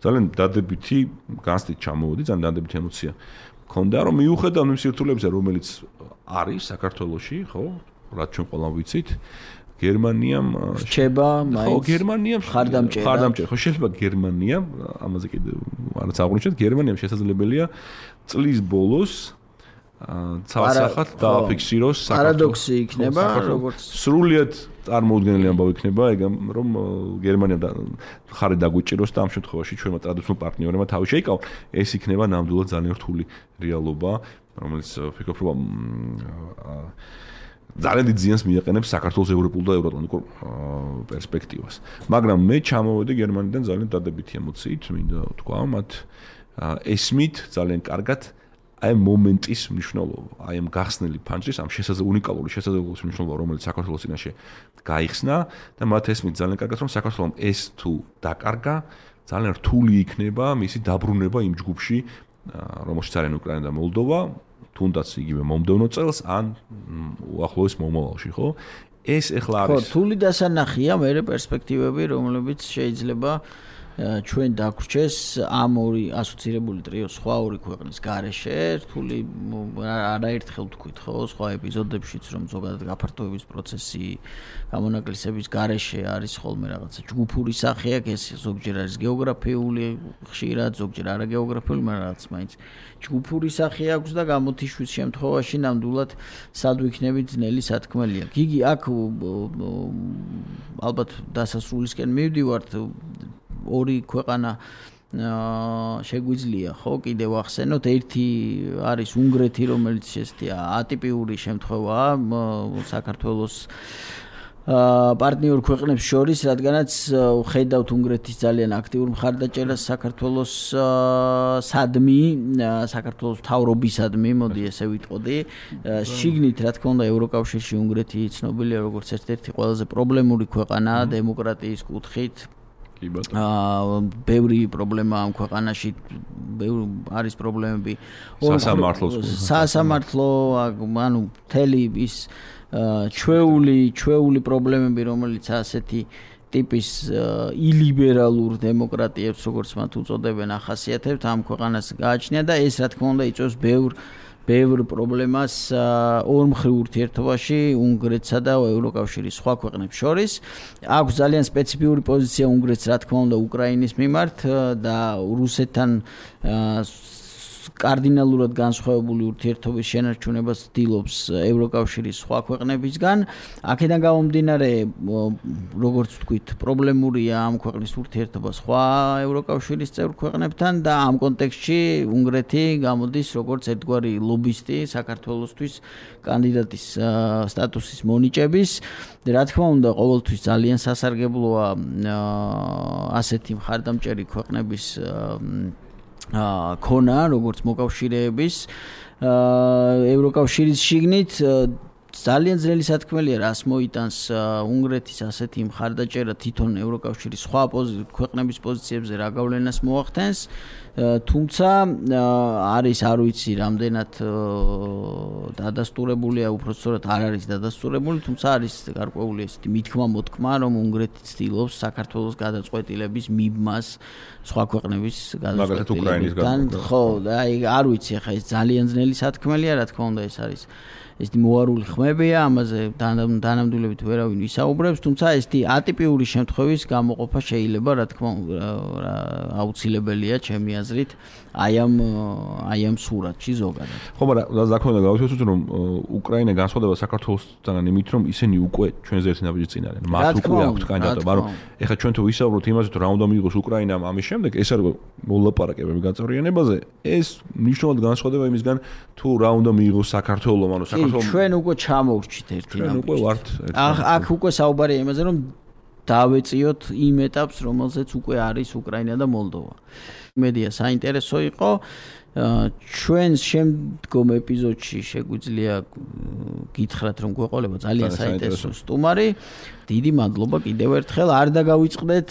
ძალიან დადებითი განცდით ჩამოვედი, ძალიან დადებითი ემოცია მქონდა, რომ მიუხედავად იმ სირთულეებისა, რომელიც არის საქართველოში, ხო, რაც ჩვენ ყველამ ვიცით, გერმანიამ რჩება მაინც გერმანიამ ხარდამჭერა ხო შეიძლება გერმანიამ ამაზე კიდე არც აღნიშნეთ გერმანიამ შესაძლებელია წლის ბოლოს ცალსახად დააფიქსიროს პარადოქსი იქნება როგორც სრულიად წარმოუდგენელი ამბავი იქნება ეგ რომ გერმანიამ ხარი დაგვიჭიროს და ამ შემთხვევაში ჩვენმა ტრადიციულ პარტნიორებმა თავი შეიკავონ ეს იქნება ნამდვილად ძალიან რთული რეალობა რომელიც ვფიქრობ რომ ძალიან დიდ ზიანს მიაყენებს საქართველოს ევროპულ და ევროატლანტიკურ პერსპექტივას. მაგრამ მე ჩამოვედი გერმანიდან ძალიან დადებითი ემოციით, მინდა თქვა, მათ ესმით ძალიან კარგად აი მომენტის მნიშვნელობა, აი ამ გახსნილი ფანჯრის, ამ უნიკალური შესაძლებლობის მნიშვნელობა, რომელიც საქართველოს წინაშე გაიხსნა და მათ ესმით ძალიან კარგად, რომ საქართველოს ეს თუ დაკარგა, ძალიან რთული იქნება მისი დაბრუნება იმ ჯგუფში, რომელშიც არიან უკრაინა და მოლდოვა. თუნდაც იგივე მომდევნო წელს ან უახლოეს მომავალში, ხო? ეს ეხლა არის. ხო, რთული დასანახია, მე პერსპექტივები, რომლებიც შეიძლება ჩვენ დაგვრჩეს ამ ორი ასოცირებული ტრიოს სხვა ორი ქვეყნის გარეშე რთული არაერთხელ თქვით ხო სხვა ეპიზოდებშიც რომ ზოგადად გაფართოების პროცესი გამონაკლისების გარეშე არის ხოლმე რაღაცა ჯგუფური სახე აქვს ეს ზოგჯერ არის გეოგრაფიული ხშირად ზოგჯერ არაგეოგრაფიული მაგრამ რაღაც მაინც ჯგუფური სახე აქვს და გამოთიშვის შემთხვევაში ნამდვილად სად ვიქნებით ძნელი სათქმელია გიგი აქ ალბათ დასასრულისკენ მივდივართ ორი ქვეყანა შეგვიძლია ხო კიდევ ახსენოთ ერთი არის უნგრეთი რომელიც ესეთი ატიპიური შემთხვევაა საქართველოს პარტნიორ ქვეყნებს შორის რადგანაც ხედავთ უნგრეთის ძალიან აქტიურ მხარდაჭერას საქართველოს სადმი საქართველოს მთავრობისადმი მოდი ესე ვიტყოდი შიგნით რა თქმა უნდა ევროკავშირში უნგრეთი ცნობილია როგორც ერთ-ერთი ყველაზე პრობლემური ქვეყანა დემოკრატიის კუთხით ბევრი პრობლემა ამ ქვეყანაში არის პრობლემები სასამართლო ანუ მთელი ის ჩვეული პრობლემები რომელიც ასეთი ტიპის ილიბერალურ დემოკრატიებს როგორც მათ უწოდებენ ახასიათებთ ამ ქვეყანას გააჩნია და ეს რა თქმა უნდა იწვევს ბევრ პრობლემას ორმხრივ ურთიერთობაში უნგრეთსა და ევროკავშირის სხვა ქვეყნებს შორის. აქვს ძალიან სპეციფიური პოზიცია უნგრეთს, რა თქმა უნდა, უკრაინის მიმართ და რუსეთთან კარდინალურად განსხვავებული ურთიერთობის შენარჩუნებას ცდილობს ევროკავშირის სხვა ქვეყნებისგან. აქედან გამომდინარე, როგორც ვთქვით, პრობლემურია ამ ქვეყნის ურთიერთობა სხვა ევროკავშირის წევრ ქვეყნებთან და ამ კონტექსტში უნგრეთი გამოდის როგორც ერთგვარი ლობისტი საქართველოსთვის კანდიდატის სტატუსის მონიჭების. რა თქმა უნდა, ყოველთვის ძალიან სასარგებლოა ასეთი მხარდამჭერი ქვეყნების ქონა, როგორც მოკავშირეების ევროკავშირის შიგნით ძალიან ძნელი სათქმელია რას მოიტანს უნგრეთის ასეთი მხარდაჭერა თვითონ ევროკავშირის სხვა ქვეყნების პოზიციებზე რა გავლენას მოახდენს, თუმცა არის არ ვიცი რამდენად დადასტურებულია, უბრალოდ არ არის დადასტურებული, თუმცა არის გარკვეული ესეთი მithქმა-მოთქმა, რომ უნგრეთი ცდილობს საქართველოს გადაწყვეტილების მიბმას სხვა ქვეყნების გადაწყვეტილებიდან. ხო, და აი არ ვიცი, ახლა ეს ძალიან ძნელი სათქმელია, რა თქმა უნდა, ეს არის ესეთი მოარული ხმებია, ამაზე დანამდვილებით ვერავინ ვისაუბრებს, თუმცა ესეთი ატიპიური შემთხვევის გამოყოფა შეიძლება, რა თქმა უნდა, აუცილებელია ჩემი აზრით, აი ამ სურათში ზოგადად. ხო, მაგრამ რა თქმა უნდა, გავიცოთ რომ უკრაინა განსხვავდება საქართველოსთან იმით, რომ ისინი უკვე ჩვენზე ერთი ნაბიჯი წინ არიან. მათ უკვე აქვთ კანდიდატობა, მაგრამ ეხლა ჩვენ თუ ვისაუბროთ იმაზე, თუ რა უნდა მიიღოს უკრაინამ ამის შემდეგ, ეს არის მოლაპარაკებები გაწევრიანებაზე, ეს მნიშვნელოვნად განსხვავდება იმისგან, თუ რა უნდა მიიღოს საქართველოს, ანუ ჩვენ უკვე ჩამოვრჩით ერთი ნაბიჯი. ჩვენ უკვე ვართ. აქ უკვე საუბარია იმაზე, რომ დავეწიოთ იმ ეტაპს, რომელზეც უკვე არის უკრაინა და მოლდოვა. მედია საინტერესო იყო. ჩვენ შემდგომ ეპიზოდში შეგვიძლია გითხრათ, რომ გვეყოლება ძალიან საინტერესო სტუმარი. დიდი მადლობა კიდევ ერთხელ. არ დაგავიწყდეთ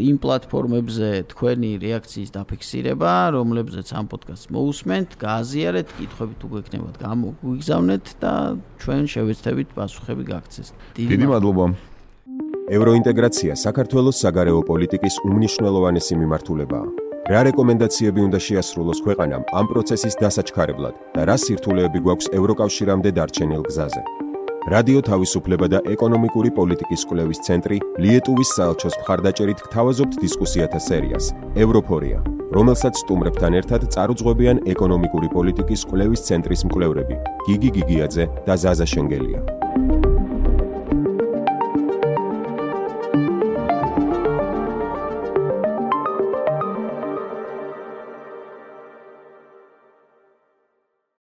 იმ პლატფორმებზე თქვენი რეაქციის დაფიქსირება, რომლებზეც ამ პოდკასტს მოусმენთ, გააზიარეთ, კითხვები თუ გვექნებათ, გამოგვიგზავნეთ და ჩვენ შევეცდებით პასუხები გაგცეს. დიდი მადლობა. ევროინტეგრაცია საქართველოს საგარეო პოლიტიკის უმნიშვნელოვანესი მიმართულებაა. რა რეკომენდაციები უნდა შეასრულოს ქვეყანამ ამ პროცესის დასაჩქარებლად და რა სირთულეები გვაქვს ევროკავშირამდე დარჩენილ გზაზე. რადიო თავისუფლება და ეკონომიკური პოლიტიკის კვლევის ცენტრი ლიეტუვის საელჩოს მხარდაჭერით გთავაზობთ დისკუსიათა სერიას ევროფორია, რომელსაც სტუმრებთან ერთად წარუძღვებიან ეკონომიკური პოლიტიკის კვლევის ცენტრის მკვლევრები გიგი გიგიაძე და ზაზა შენგელია.